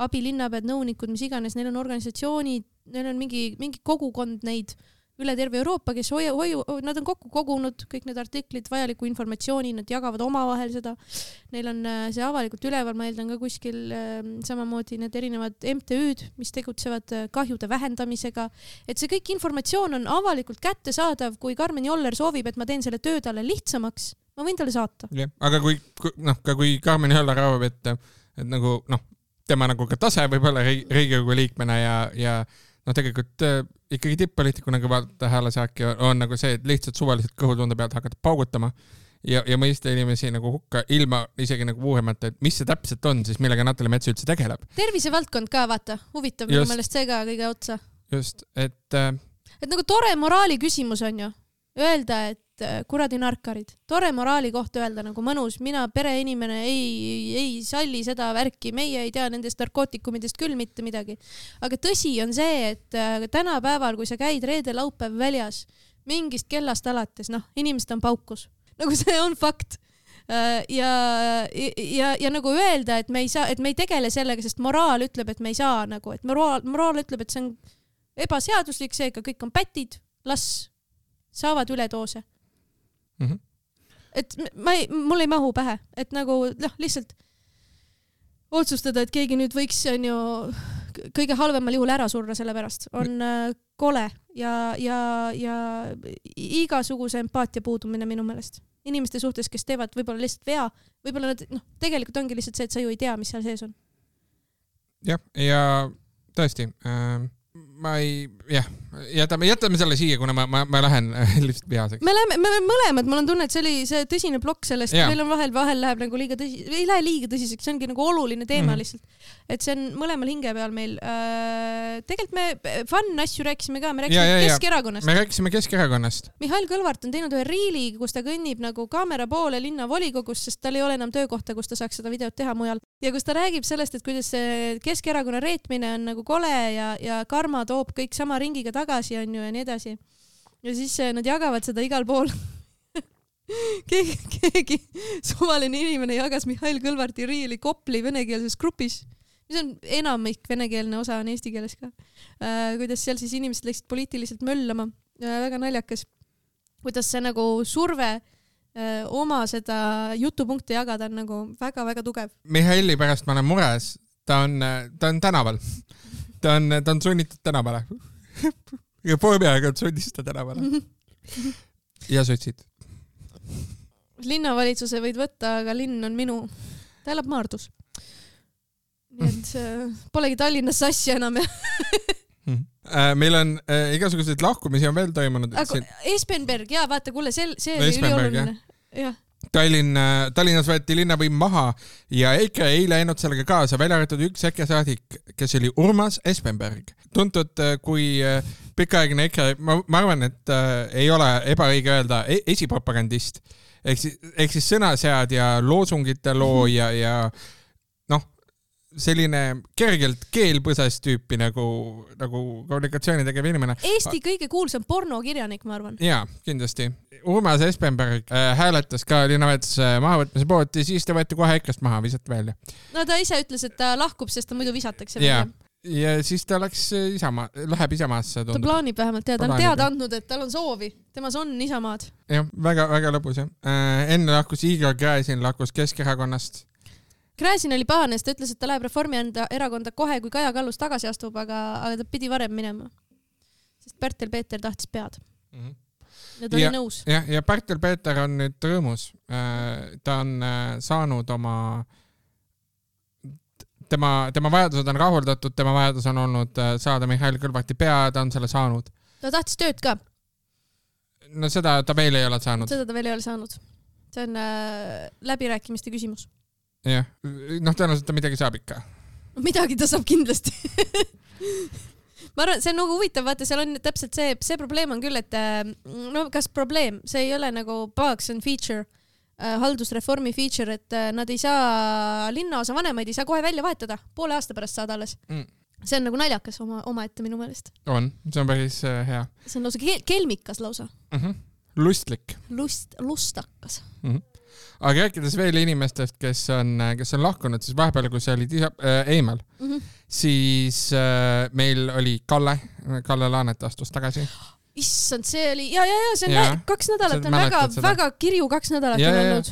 abilinnapead, nõunikud, mis iganes, neil on organisatsioonid, neil on mingi kogukond neid üle terve Euroopa, kes nad on kokku kogunud kõik need artiklid, vajaliku informatsiooni, nad jagavad omavahel seda. Neil on see avalikult üleval, ma eeldan ka kuskil samamoodi need erinevad MTÜ'd, mis tegutsevad kahjude vähendamisega. Et see kõik informatsioon on avalikult kättesaadav, kui Karmen Joller soovib, et ma teen selle töö talle lihtsamaks, ma võin talle saata. Ja, aga kui Karmen Joller arvab, et nagu, tema nagu ka tase võib olla Riigikogu liikmena ja tegelikult ikkagi tipp-poliitikuna, kui vaadata häälesaaki, on nagu see, et lihtsalt suvaliselt kõhutunde pealt hakata paugutama ja mõista inimesi nagu hukka ilma isegi nagu uurimata, et mis see täpselt on siis, millega Natali Mets üldse tegeleb. Tervisevaldkond ka, vaata, huvitav minu meelest see ka kõige otsa. Just, et nagu tore moraali küsimus on ju, öelda, et kuradi narkarid, tore moraali kohta öelda nagu mõnus, mina pereinimene ei salli seda värki, meie ei tea nendest narkootikumidest küll mitte midagi. Aga tõsi on see, et tänapäeval, kui sa käid reede-laupäev väljas, mingist kellast alates, inimesed on paukus. Nagu see on fakt. Ja nagu öelda, et me ei tegele sellega, sest moraal ütleb, et me ei saa nagu, et moraal ütleb, et see on ebaseaduslik, seega kõik on pätid, las saavad üledoose. Et mul ei mahu pähe, et nagu lihtsalt otsustada, et keegi nüüd võiks on ju kõige halvemal juhul ära surra selle pärast, on kole ja igasuguse empaatia puudumine minu meelest. Inimeste suhtes, kes teevad võib-olla lihtsalt vea, võib-olla nad, tegelikult ongi lihtsalt see, et sa ju ei tea, mis seal sees on. Jah, ja tõesti, jätame selle siia, kuna ma lähen lihtsalt vihaseks. Me mõlemad, mul on tunne, et see oli see tõsine plokk sellest, meil on vahel läheb nagu liiga tõsiseks, ei lähe liiga tõsiseks, see ongi nagu oluline teema lihtsalt. Et see on mõlemal hinge peal meil. Tegelikult me fun asju rääkisime ka, me rääkisime Keskerakonnast. Me rääkisime Keskerakonnast. Mihhail Kõlvart on teinud ühe riili, kus ta kõnnib nagu kaamera poole linna volikogus, sest tal ei ole enam töökohta, kus ta saaks seda videot teha mujal. Ja kus ta räägib sellest, et kuidas see Keskerakonna reetmine on nagu kole ja karma toob kõik sama ringiga tagasi on ju ja nii edasi. Ja siis nad jagavad seda igal pool. Keegi suvaline inimene jagas Mihhail Kõlvarti riili Kopli venekeelses grupis, mis on enamik venekeelne osa on eesti keeles ka. Kuidas seal siis inimesed läksid poliitiliselt möllama. Väga naljakas. Kuidas see nagu surve oma seda jutupunkte jagada on nagu väga-väga tugev. Mihhaili pärast ma olen mures. Ta on tänaval. Ta on sunnitud tänavale. Ja Reformierakond sundis ta tänavale. Ja sotsid. Linnavalitsuse võid võtta, aga linn on minu. Ta elab Maardus. Nii et polegi Tallinnas sassi enam. Meil on igasuguseid lahkumisi on veel toimunud. Espenberg, jaa, vaata, kuule, see oli ülioluline. Jah. Tallinnas võeti linnavõim maha ja EKRE ei läinud sellega kaasa, välja arvatud üks EKRE saadik, kes oli Urmas Espenberg. Tuntud kui pikaaegne EKRE, ma arvan, et ei ole ebaõige öelda esipropagandist. Ehk siis sõnasead ja loosungite loo ja selline kergelt keelpõses tüüpi nagu kommunikatsiooni tegev inimene. Eesti kõige kuulsam pornokirjanik, ma arvan. Jaa, kindlasti. Urmas Espenberg hääletas ka linnavalituse mahavõtmise poolt ja siis ta võeti kohe EKRE-st maha, visati välja. No ta ise ütles, et ta lahkub, sest ta muidu visatakse. Ja siis ta läheb Isamaasse. Ta plaanib vähemalt, ta on teada andnud, et tal on soovi. Temas on Isamaad. Jah, väga lõbus. Enne lahkus Igor Gräzin, lahkus Keskerakonnast. Gräzin oli pahane, sest ta ütles, et ta läheb Reformierakonda kohe, kui Kaja Kallus tagasi astub, aga ta pidi varem minema. Sest Pärtel-Peeter tahtis pead. Ja ta oli nõus. Ja Pärtel-Peeter on nüüd rõõmus. Ta on saanud oma... Tema vajadused on rahuldatud, tema vajadus on olnud saada Mihhail Kõlvarti pea, ta on selle saanud. Ta tahtis tööd ka. No seda ta veel ei ole saanud. Seda ta veel ei ole saanud. See on läbirääkimiste küsimus. Jah, tõenäoliselt ta midagi saab ikka. Midagi ta saab kindlasti. Ma arvan, see on nagu huvitav, vaata, seal on täpselt see probleem on küll, et kas probleem, see ei ole nagu bugs and feature, haldusreformi feature, et nad ei saa linnaosa vanemaid, ei saa kohe välja vahetada, poole aasta pärast saad alles. See on nagu naljakas oma ette minu meelest. On, see on päris hea. See on lausa kelmikas lausa. Lustlik. Lustakas. Aga rääkides veel inimestest, kes on lahkunud, siis vahepeal, kui sa olid eemal, siis meil oli Kalle Laanet astus tagasi. Issand, see oli, see on 2 nädalat, on väga kirju 2 nädalat on olnud.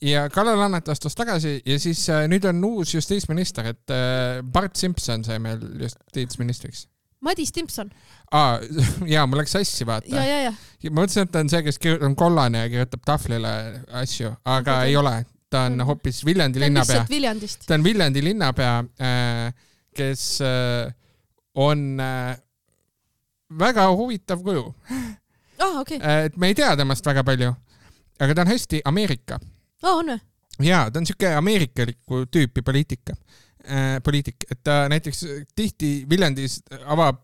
Ja Kalle Laanet astus tagasi ja siis nüüd on uus justiitsminister, et Bart Simpson sai meil justiitsministriks. Madis Timpson. Jaa, mul läks sassi vaata. Ja. Ma mõtlesin, et ta on see, kes on kollane ja kirjutab tahvlile asju, aga ei ole. Ta on hoopis Viljandi linnapea. Ta on Viljandi linnapea, kes on väga huvitav kuju. Okay. Et me ei tea temast väga palju. aga ta on hästi Ameerika. On või? Jaa, ta on siuke ameerikaliku tüüpi poliitik, et ta näiteks tihti Viljandis avab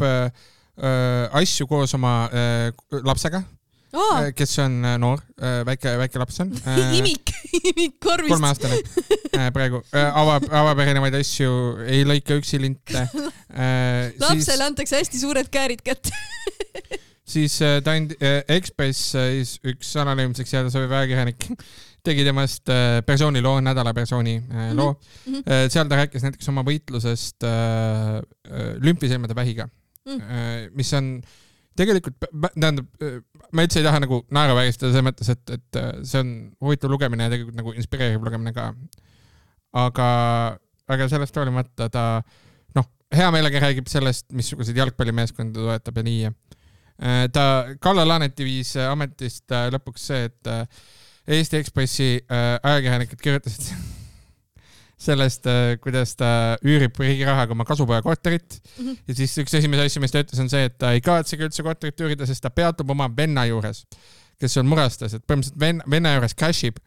asju koos oma lapsega, kes on noor, väike laps on. Imik korvist. 3-aastane praegu. Avab erinevaid asju, ei lõika üksi linte. Lapsele antakse hästi suured käärid kätte. Siis ta on Ekspress, üks anonüümseks jääda sobiv ajakirjanik, tegi temast persooniloo, nädala persooni loo. Seal ta rääkis näiteks oma võitlusest lümfisilmade vähiga, mis on tegelikult, tähendab, ma üldse ei taha nagu naeruvääristada selles mõttes, et see on huvitav lugemine ja tegelikult nagu inspireeriv lugemine ka. Aga sellest hoolimata ta hea meelega räägib sellest, missuguseid jalgpallimeeskonda toetab ja nii. Kalle Laaneti viis ametist lõpuks see, et Eesti Ekspressi ajakirjanikud kirjutasid sellest, kuidas ta üürib riigi rahaga oma kasupoja korterit. Ja siis üks esimese asju, mis ta ütles, on see, et ta ei kavatsegi üldse korterit üürida, sest ta peatub oma venna juures, kes on murastas, et põhimõtteliselt venna juures cashib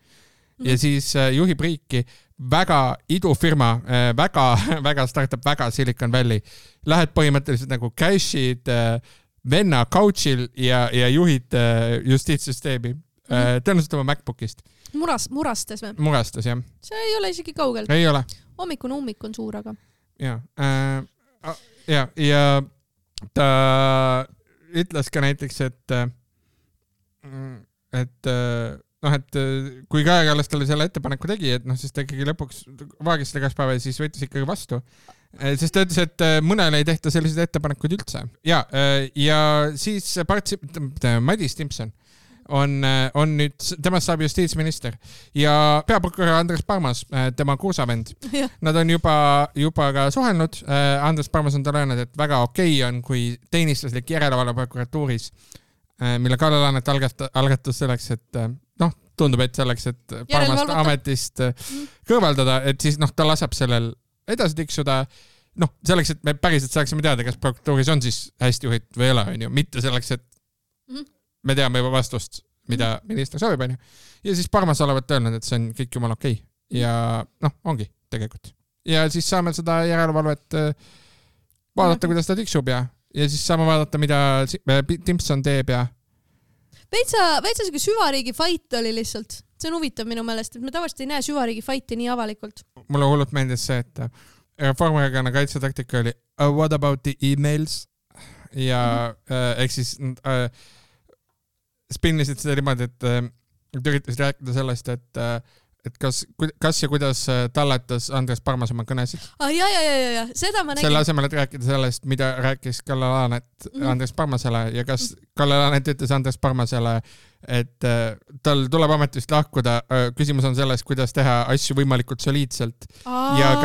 ja siis juhib riiki väga idufirma, väga startup, väga Silicon Valley. Lähed põhimõtteliselt nagu cashid venna couchil ja juhid justiitssüsteemi. Tõenäoliselt oma MacBookist. Murastas või? Murastas, jah. See ei ole isegi kaugel. Ei ole. Hommikune ummik on suur, aga. Ja ta ütles ka näiteks, et kui Kaja Kallas talle selle ettepaneku tegi, et siis ta ikkagi lõpuks vaagis selle 2 päeva ja siis võttis ikkagi vastu. Sest ta ütles, et mõnele ei tehta selliseid ettepanekuid üldse. Ja siis Madis Timpson on nüüd, temast saab justiitsminister ja peaprokurör Andres Parmas, tema kuusavend. Nad on juba ka suhelnud. Andres Parmas on talle öelnud, et väga okei on, kui teenistuslik järelevalve prokuratuuris, mille Kalle Laanet algatus selleks, et tundub, et selleks, et Parmast ametist kõrvaldada, et siis ta laseb sellel edasi tiksuda, selleks, et me päriselt saaksime teada, kas prokuratuuris on siis hästi juhid või ei ole, mitte selleks, et me teame juba vastust, mida minister soovib, on ju. Ja siis Parmas olevat öelnud, et see on kõik jumal okei. Ja ongi tegelikult. Ja siis saame seda järelevalvet vaadata, kuidas ta tiksub ja siis saame vaadata, mida Timpson teeb ja Veitsa siuke süvariigi fight oli lihtsalt. See on huvitav minu meelest, et me tavaliselt ei näe süvariigi fighti nii avalikult. Mulle hullult meeldis see, et Reformierakonna kaitsetaktika oli what about the emails? Ja ehk siis spinnisid seda niimoodi, et üritasid rääkida sellest, et kas ja kuidas talletas Andres Parmas oma kõnesid. Ja, seda ma nägin. Selle asemel, et rääkida sellest, mida rääkis Kalle Laanet Andres Parmasele ja kas Kalle Laanet ütles Andres Parmasele, et tal tuleb ametist lahkuda. Küsimus on selles, kuidas teha asju võimalikult soliidselt. Ja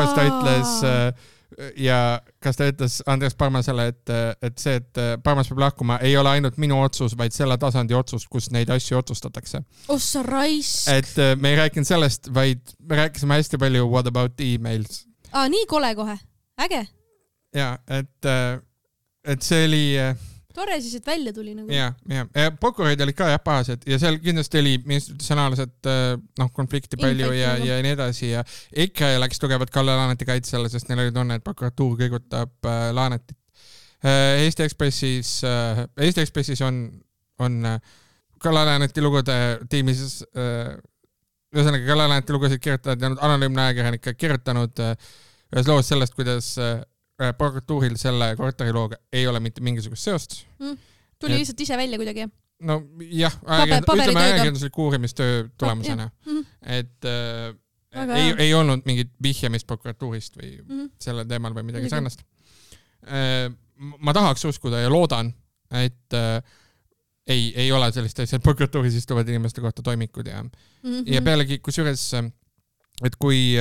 kas ta ütles Andres Parmasele, et see, et Parmas peab lahkuma, ei ole ainult minu otsus, vaid selle tasandi otsus, kus neid asju otsustatakse. Ossa raisk. Et me ei rääkinud sellest, vaid me rääkisime hästi palju what about emails. Nii kole kohe. Äge. Ja, et see oli tore siis, et välja tuli nagu. Ja prokurörid olid ka pahased ja seal kindlasti oli institutsionaalset konflikti palju ja nii edasi ja EKRE läks tugevat Kalle Laaneti kaitsele, sest neil oli tunne, et prokuratuur kõigutab Laanetit. Eesti Ekspressis on Kalle Laaneti lugude tiimis ühesõnaga Kalle Laaneti lugusid kirjutavad ja anonüümne ajakirjanik kirjutanud ühes loos sellest, kuidas prokuratuuril selle korterilooga ei ole mitte mingisugust seost. Tuli lihtsalt ise välja kuidagi. No jah, ütleme ajakirjanduslik uurimistöö tulemusena. Et ei olnud mingit vihjamist prokuratuurist või selle teemal või midagi sarnast. Ma tahaks uskuda ja loodan, et ei ole sellist asja, et prokuratuuris istuvad inimeste kohta toimikud ja pealegi kusjuures, et kui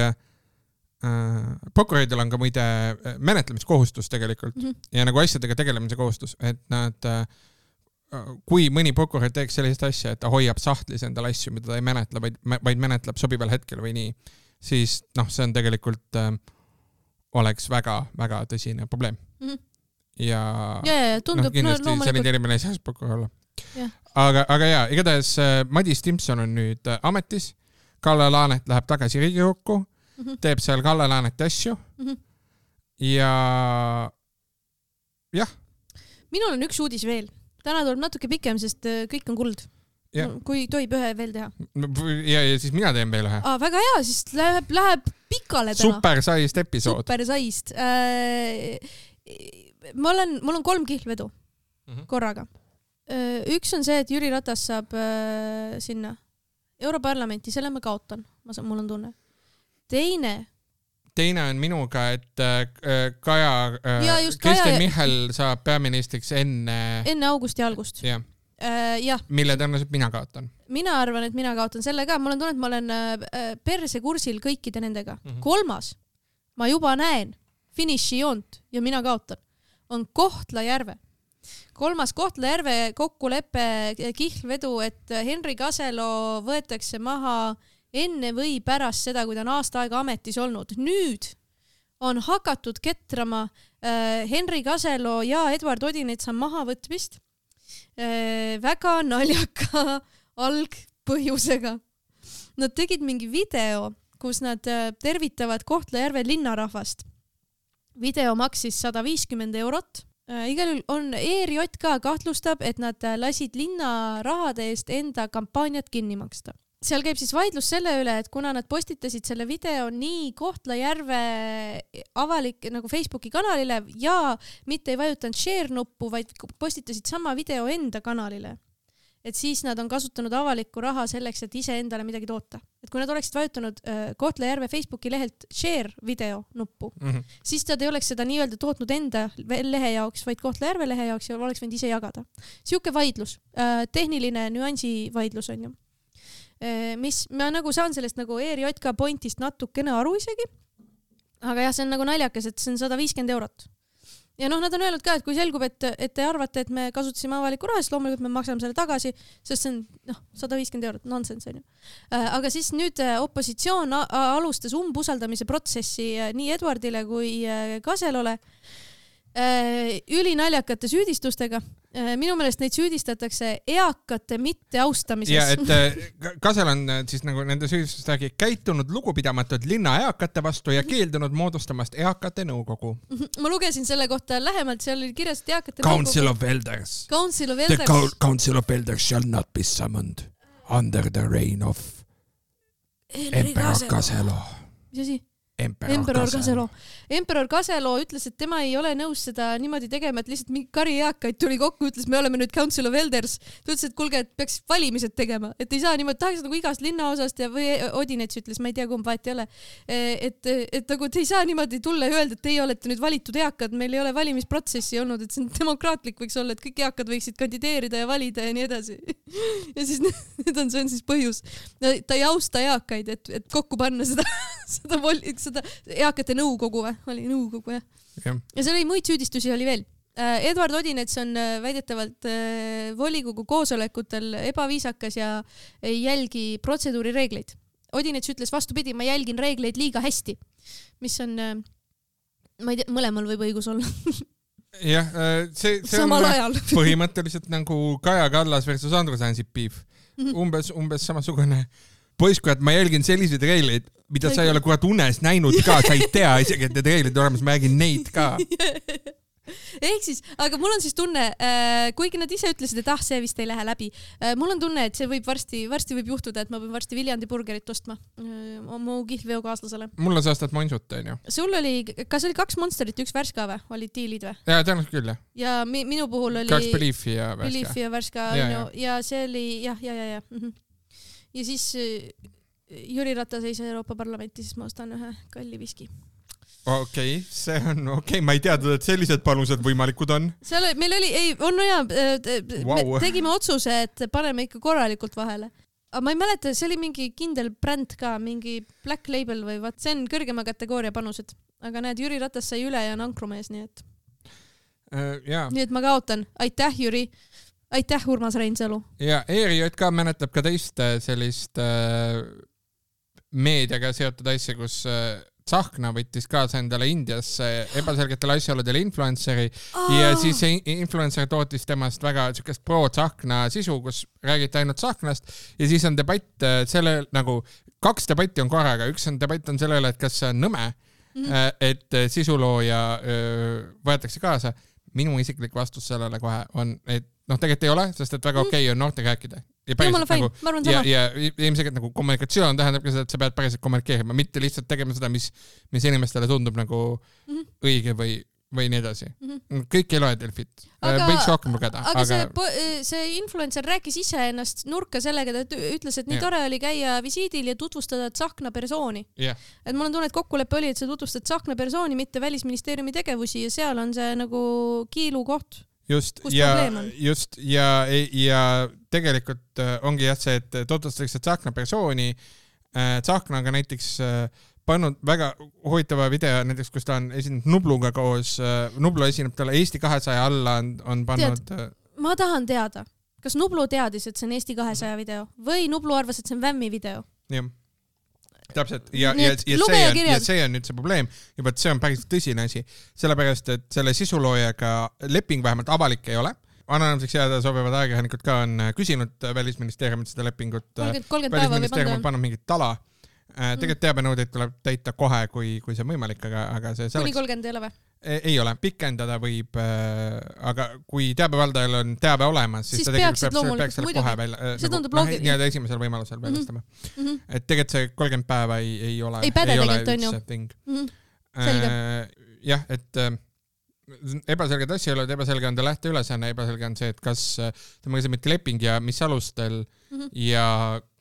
prokuröridel on ka muide menetlemiskohustus tegelikult ja nagu asjadega tegelemise kohustus, et nad, kui mõni prokurör teeks sellist asja, et ta hoiab sahtlis endale asju, mida ta ei menetle, vaid menetleb sobival hetkel või nii, siis see on tegelikult oleks väga tõsine probleem. Ja tundub, kindlasti selline inimene ei saa prokurör olla. aga jaa, igatahes Madis Timpson on nüüd ametis. Kalle Laanet läheb tagasi Riigikokku, teeb seal Kalle Laaneti asju ja jah. Minul on üks uudis veel. Täna tuleb natuke pikem, sest kõik on kuld. Ja. Kui tohib ühe veel teha. Ja siis mina teen veel ühe. Väga hea, siis läheb pikale täna. Supersaist episood. Supersaist. Mul on 3 kihlvedu korraga. Üks on see, et Jüri Ratas saab sinna Europarlamenti, selle ma kaotan, mul on tunne. Teine on minuga, et Kristen Michal saab peaministriks enne augusti algust. Ja. Mille tõenäoliselt mina kaotan. Mina arvan, et mina kaotan selle ka. Mul on tunne, et ma olen perse kursil kõikide nendega. 3. ma juba näen finišijoont ja mina kaotan. On Kohtla-Järve. 3. Kohtla-Järve kokkuleppe kihlvedu, et Henri Kaselo võetakse maha enne või pärast seda, kui ta on aasta aega ametis olnud. Nüüd on hakatud ketrama Henri Kaselo ja Edward Odinetsa mahavõtmist väga naljaka algpõhjusega. Nad tegid mingi video, kus nad tervitavad Kohtla-Järve linnarahvast. Video maksis 150 €. Igal juhul on ERJK kahtlustab, et nad lasid linna rahade eest enda kampaaniat kinni maksta. Seal käib siis vaidlus selle üle, et kuna nad postitasid selle video nii Kohtla-Järve avalik nagu Facebooki kanalile ja mitte ei vajutanud share nuppu, vaid postitasid sama video enda kanalile. Et siis nad on kasutanud avalikku raha selleks, et ise endale midagi toota. Et kui nad oleksid vajutanud Kohtla-Järve Facebooki lehelt share video nuppu, siis nad ei oleks seda nii-öelda tootnud enda lehe jaoks, vaid Kohtla-Järve lehe jaoks ja oleks võinud ise jagada. Siuke vaidlus, tehniline nüansi vaidlus on ju. Mis ma nagu saan sellest nagu ERJK pointist natukene aru isegi, aga jah, see on nagu naljakas, et see on 150 €. Ja nad on öelnud ka, et kui selgub, et te arvate, et me kasutasime avalikku raha, siis loomulikult me maksame selle tagasi, sest see on 150 €, nonsense on ju. Aga siis nüüd opositsioon alustas umbusaldamise protsessi nii Edwardile kui Kaselole ülinaljakate süüdistustega. Minu meelest neid süüdistatakse eakate mitteaustamises. Ja, et Kasel on siis nagu nende süüdistustega käitunud lugupidamatult linna eakate vastu ja keeldunud moodustamast eakate nõukogu. Ma lugesin selle kohta lähemalt, seal oli kirjas, et eakate Council of Elders. The Council of Elders shall not be summoned under the reign of Emperor Kaselo. Mis asi? Emperor Kaselo ütles, et tema ei ole nõus seda niimoodi tegema, et lihtsalt mingi kari eakaid tuli kokku, ütles, me oleme nüüd Council of Elders. Ta ütles, et kuulge, et peaks valimised tegema, et ei saa niimoodi, tahaks nagu igast linnaosast ja või Odinets ütles, ma ei tea, kumb vahet ei ole. Et nagu te ei saa niimoodi tulla ja öelda, et teie olete nüüd valitud eakad, meil ei ole valimisprotsessi olnud, et see on demokraatlik võiks olla, et kõik eakad võiksid kandideerida ja valida ja nii edasi. Ja siis see on siis põhjus. Ta ei austa eakaid, et kokku panna seda eakate nõukogu oli nõukogu, jah. Ja seal oli muid süüdistusi oli veel. Edward Odinets on väidetavalt volikogu koosolekutel ebaviisakas ja ei jälgi protseduuri reegleid. Odinets ütles vastupidi, ma jälgin reegleid liiga hästi, mis on, ma ei tea, mõlemal võib õigus olla. Jah, see samal ajal. Põhimõtteliselt nagu Kaja Kallas versus Andrus Ansip piif. Umbes samasugune poiss, kui ma jälgin selliseid reegleid, mida sa ei ole kurat unes näinud ka, sa ei tea isegi, et need reeglid olemas, ma jälgin neid ka. Ehk siis, aga mul on siis tunne, kuigi nad ise ütlesid, et see vist ei lähe läbi, mul on tunne, et see võib varsti võib juhtuda, et ma pean varsti Viljandi burgerit ostma mu kihlveokaaslasele. Mul on saastat monsut, on ju. Sul oli, kas oli 2 Monsterit, 1 Värska või? Olid diilid või? Jaa, tõenäoliselt küll, jah. Ja minu puhul oli 2 Beliefi ja Värska. Beliefi ja Värska, ja see oli, jah. Ja siis Jüri Ratas ei saa Euroopa Parlamenti, siis ma ostan ühe kalli viski. Okei, see on okei, ma ei teadnud, et sellised panused võimalikud on. Seal meil oli, me tegime otsuse, et paneme ikka korralikult vahele. Aga ma ei mäleta, see oli mingi kindel bränd ka, mingi Black Label või vaat, see on kõrgema kategooria panused. Aga näed, Jüri Ratas sai üle ja on ankrumees, nii et. Nii et ma kaotan. Aitäh, Jüri. Aitäh, Urmas Reinsalu. Ja ERJK mäletab ka teist sellist meediaga seotud asja, kus Tsahkna võttis kaasa endale Indias ebaselgetel asjaoludel influenceri ja siis see influencer tootis temast väga sükest pro-Tsahkna sisu, kus räägiti ainult Tsahknast ja siis on debatt selle nagu 2 debatti on korraga, üks on debatt on selle üle, et kas see on nõme, et sisulooja võetakse kaasa. Minu isiklik vastus sellele kohe on, et tegelikult ei ole, sest et väga okei on noortega rääkida. Ja ilmselt nagu kommunikatsioon tähendab ka seda, et sa pead päriselt kommunikeerima, mitte lihtsalt tegema seda, mis inimestele tundub nagu õige või nii edasi. Kõik ei loe Delfit. Võiks rohkem lugeda. Aga see influencer rääkis ise ennast nurka sellega, ta ütles, et nii tore oli käia visiidil ja tutvustada Tsahkna persooni. Et mul on tunne, et kokkulepe oli, et sa tutvustad Tsahkna persooni, mitte Välisministeeriumi tegevusi ja seal on see nagu kiilu koht. Just ja tegelikult ongi jah see, et tutvustatakse Tsahkna persooni. Tsahkna on ka näiteks pannud väga huvitava video näiteks, kus ta on esinenud Nubluga koos. Nublu esineb talle Eesti 200 alla on pannud... Ma tahan teada, kas Nublu teadis, et see on Eesti 200 video või Nublu arvas, et see on Vämmi video? Jah, täpselt. Ja see on nüüd see probleem. Juba, et see on päris tõsine asi. Sellepärast, et selle sisuloojaga leping vähemalt avalik ei ole. Anonymseks jääda sobivad ajakirjanikud ka on küsinud Välisministeeriumit seda lepingut. 30 päeva võib anda. Pannud mingit tala. Tegelikult teabenõudeid tuleb täita kohe, kui see on võimalik, aga see kuni 30 ei ole või? Ei ole, pikendada võib, aga kui teabevaldajal on teabe olemas, siis ta tegelikult peaks selle kohe välja. See tundub loogiline. Nii-öelda esimesel võimalusel väljastama. Et tegelikult see 30 päeva ei ole. Ei päde tegelikult on ju. Selge. Jah, et ebaselged asjaolud, ebaselge on ta lähteülesanne, ebaselge on see, et kas temaga see mitte leping ja mis alustel ja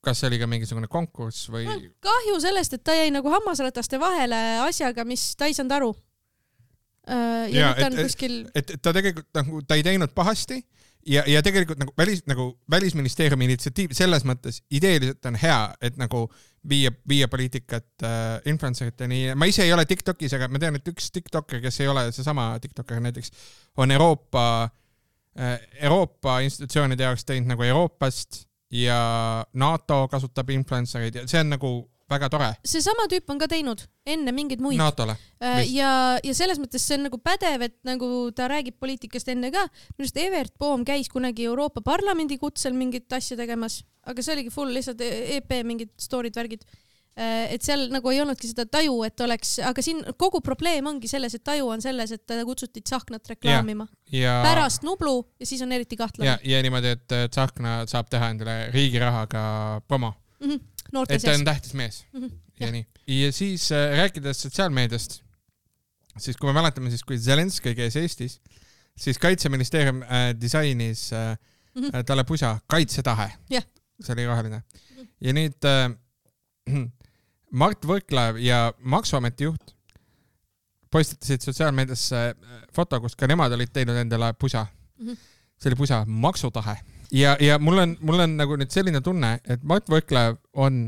kas see oli ka mingisugune konkurss või... Kahju sellest, et ta jäi nagu hammasrataste vahele asjaga, mis ta ei saanud aru. Et ta tegelikult nagu, ta ei teinud pahasti ja tegelikult nagu Välisministeeriumi initsiatiiv selles mõttes ideeliselt on hea, et nagu viia poliitikat influenceriteni. Ma ise ei ole TikTokis, aga ma tean, et üks TikToker, kes ei ole seesama TikToker näiteks, on Euroopa institutsioonide jaoks teinud nagu Euroopast ja NATO kasutab influencereid ja see on nagu väga tore. See sama tüüp on ka teinud enne mingeid muid. NATO-le. Ja selles mõttes see on nagu pädev, et nagu ta räägib poliitikast enne ka. Minust Evert Poom käis kunagi Euroopa Parlamendi kutsel mingit asja tegemas, aga see oligi full lihtsalt EP mingid story'd värgid. Et seal nagu ei olnudki seda taju, et oleks, aga siin kogu probleem ongi selles, et taju on selles, et kutsuti Tsahknat reklaamima. Pärast Nublu ja siis on eriti kahtlane. Ja niimoodi, et Tsahkna saab teha endale riigi rahaga promo. Et ta on tähtis mees. Ja nii. Ja siis rääkides sotsiaalmeediast, siis kui me mäletame, siis kui Zelenski käis Eestis, siis Kaitseministeerium disainis talle pusa kaitsetahe. See oli roheline. Ja nüüd Mart Võrklaev ja Maksuameti juht postitasid sotsiaalmeediasse foto, kus ka nemad olid teinud endale pusa. See oli pusa maksutahe. Ja mul on nagu nüüd selline tunne, et Mart Võrklaev on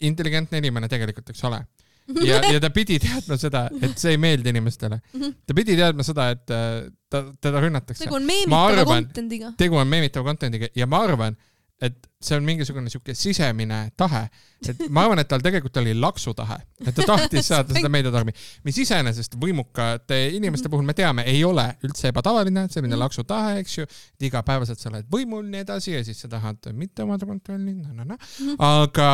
intelligentne inimene tegelikult, eks ole. Ja ta pidi teadma seda, et see ei meeldi inimestele. Ta pidi teadma seda, et teda rünnatakse. Tegu on meemitava kontendiga. Tegu on meemitava kontendiga ja ma arvan, et see on mingisugune siuke sisemine tahe. Et ma arvan, et tal tegelikult oli laksutahe. Et ta tahtis saada seda meediatormi. Mis iseenesest võimukate inimeste puhul me teame, ei ole üldse ebatavaline, selline laksutahe, eks ju. Et igapäevaselt sa oled võimul nii edasi ja siis sa tahad mitte omada kontrolli. Aga...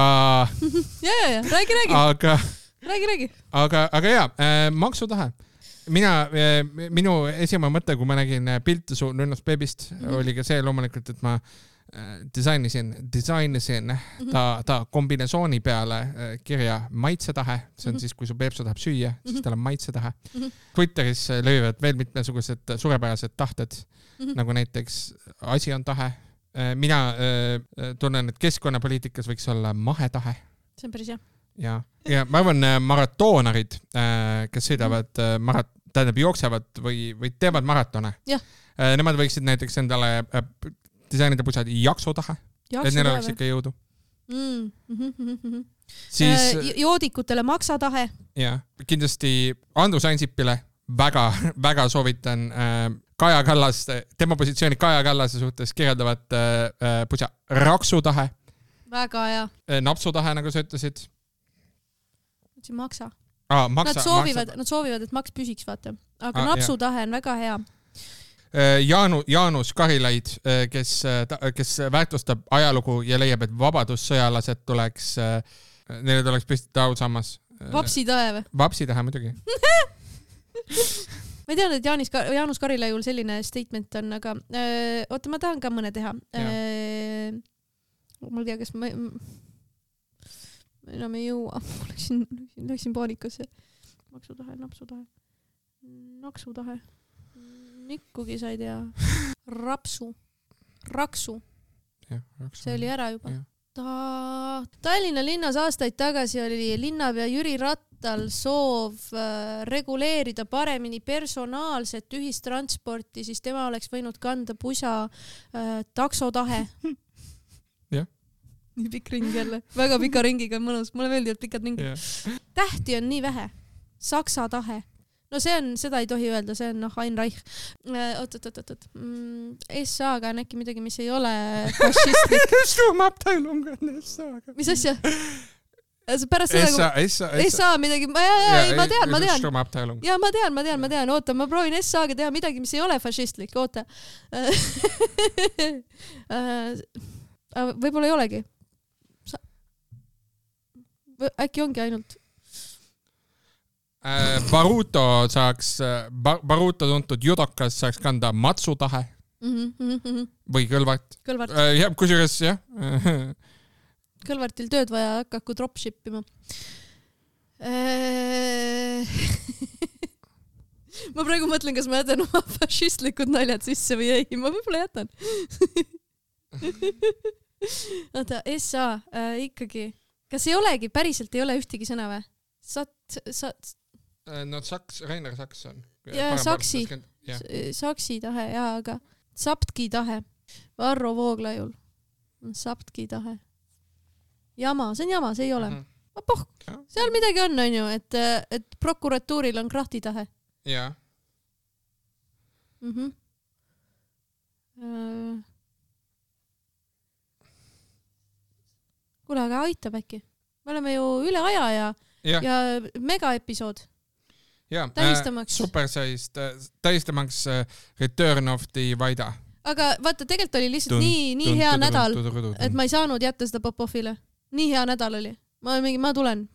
Räägi. Aga jaa, maksutahe. Minu esimene mõte, kui ma nägin pilte su Nunnast beebist, oli ka see loomulikult, et ma disainisin ta kombinesooni peale kirja maitsetahe. See on siis, kui su beebsu tahab süüa, siis tal on maitsetahe. Twitteris löövad veel mitmesugused suurepärased tahted, nagu näiteks asi on tahe. Mina tunnen, et keskkonnapoliitikas võiks olla mahetahe. See on päris hea. Ja ma arvan, maratoonarid, kes sõidavad, jooksevad või teevad maratone. Nemad võiksid näiteks endale disainida pusad jaksutahe, et neil oleks ikka jõudu. Joodikutele maksatahe. Ja, kindlasti Andrus Ansipile väga soovitan Kaja Kallas, tema positsiooni Kaja Kallase suhtes kirjeldavat pusa raksutahe. Väga hea. Napsutahe, nagu sa ütlesid. Maksa. Nad soovivad, et maks püsiks, vaata. Aga napsutahe on väga hea. Jaanus Karilaid, kes väärtustab ajalugu ja leiab, et vabadussõjalased neile tuleks püstitada ausammas. Vapsitahe või? Vapsitahe muidugi. Ma ei teadnud, et Jaanus Karilaiul selline statement on, aga oota, ma tahan ka mõne teha. Ma ei tea, kas ma enam ei jõua. Läksin paanikasse. Maksutahe, napsutahe. Naksutahe. Mikkugi sa ei tea. Raksu. See oli ära juba. Tallinna linnas aastaid tagasi oli linnapea Jüri Rattal soov reguleerida paremini personaalset ühistransporti, siis tema oleks võinud kanda pusa taksotahe. Jah. Nii pikk ring jälle. Väga pika ringiga on mõnus. Mulle meeldivad pikad ringid. Tähti on nii vähe. Saksa tahe. No seda ei tohi öelda, see on Ain Reich. Oot. SA-ga on äkki midagi, mis ei ole fašistlik. Sturmabteilung on SA-ga. Mis asja? Pärast seda, SA midagi, ma tean. Sturmabteilung. Ja ma tean. Oota, ma proovin SA-ga teha midagi, mis ei ole fašistlik. Oota. Võib-olla ei olegi. Äkki ongi ainult... Baruto tuntud judokas saaks kanda matsutahe või Kõlvart. Kusjuures jah. Kõlvartil tööd vaja hakaku dropshippima. Ma praegu mõtlen, kas ma jätan oma fašistlikud naljad sisse või ei. Ma võib-olla jätan. Oota, SA ikkagi. Kas ei olegi, päriselt ei ole ühtegi sõna või? No Rainer Saks on. Ja Saksi tahe, aga Saptki tahe. Varro Vooglaiul on Saptki tahe. Jama, see on jama, see ei ole. Seal midagi on ju, et prokuratuuril on krahti tahe. Jaa. Kuule, aga aitab äkki. Me oleme ju üle aja ja megaepisood. Tähistamaks. Tähistamaks Return of the Vaida. Aga vaata, tegelikult oli lihtsalt nii hea nädal, et ma ei saanud jätta seda Popovile. Nii hea nädal oli. Ma tulen.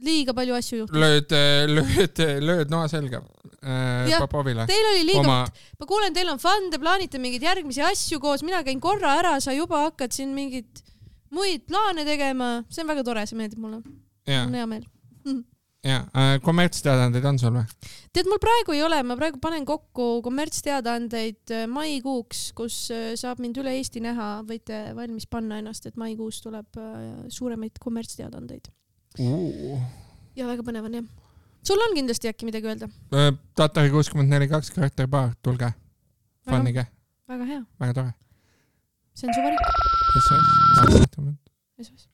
Liiga palju asju juhtus. Lööd noa selga Popovile. Teil oli liiga... Ma kuulen, teil on fun, te plaanite mingeid järgmisi asju koos. Mina käin korra ära, sa juba hakkad siin mingid muid plaane tegema. See on väga tore, see meeldib mulle. On hea meel. Kommertsteadandeid on sul või? Tead, mul praegu ei ole, ma praegu panen kokku kommertsteadandeid maikuuks, kus saab mind üle Eesti näha, võite valmis panna ennast, et maikuus tuleb suuremaid kommertsteadandeid. Ja väga põnev on, jah. Sul on kindlasti äkki midagi öelda? Tatari 64.2 karakterbaar, tulge. Fannige. Väga hea. Väga tore. See on su varik. SOS.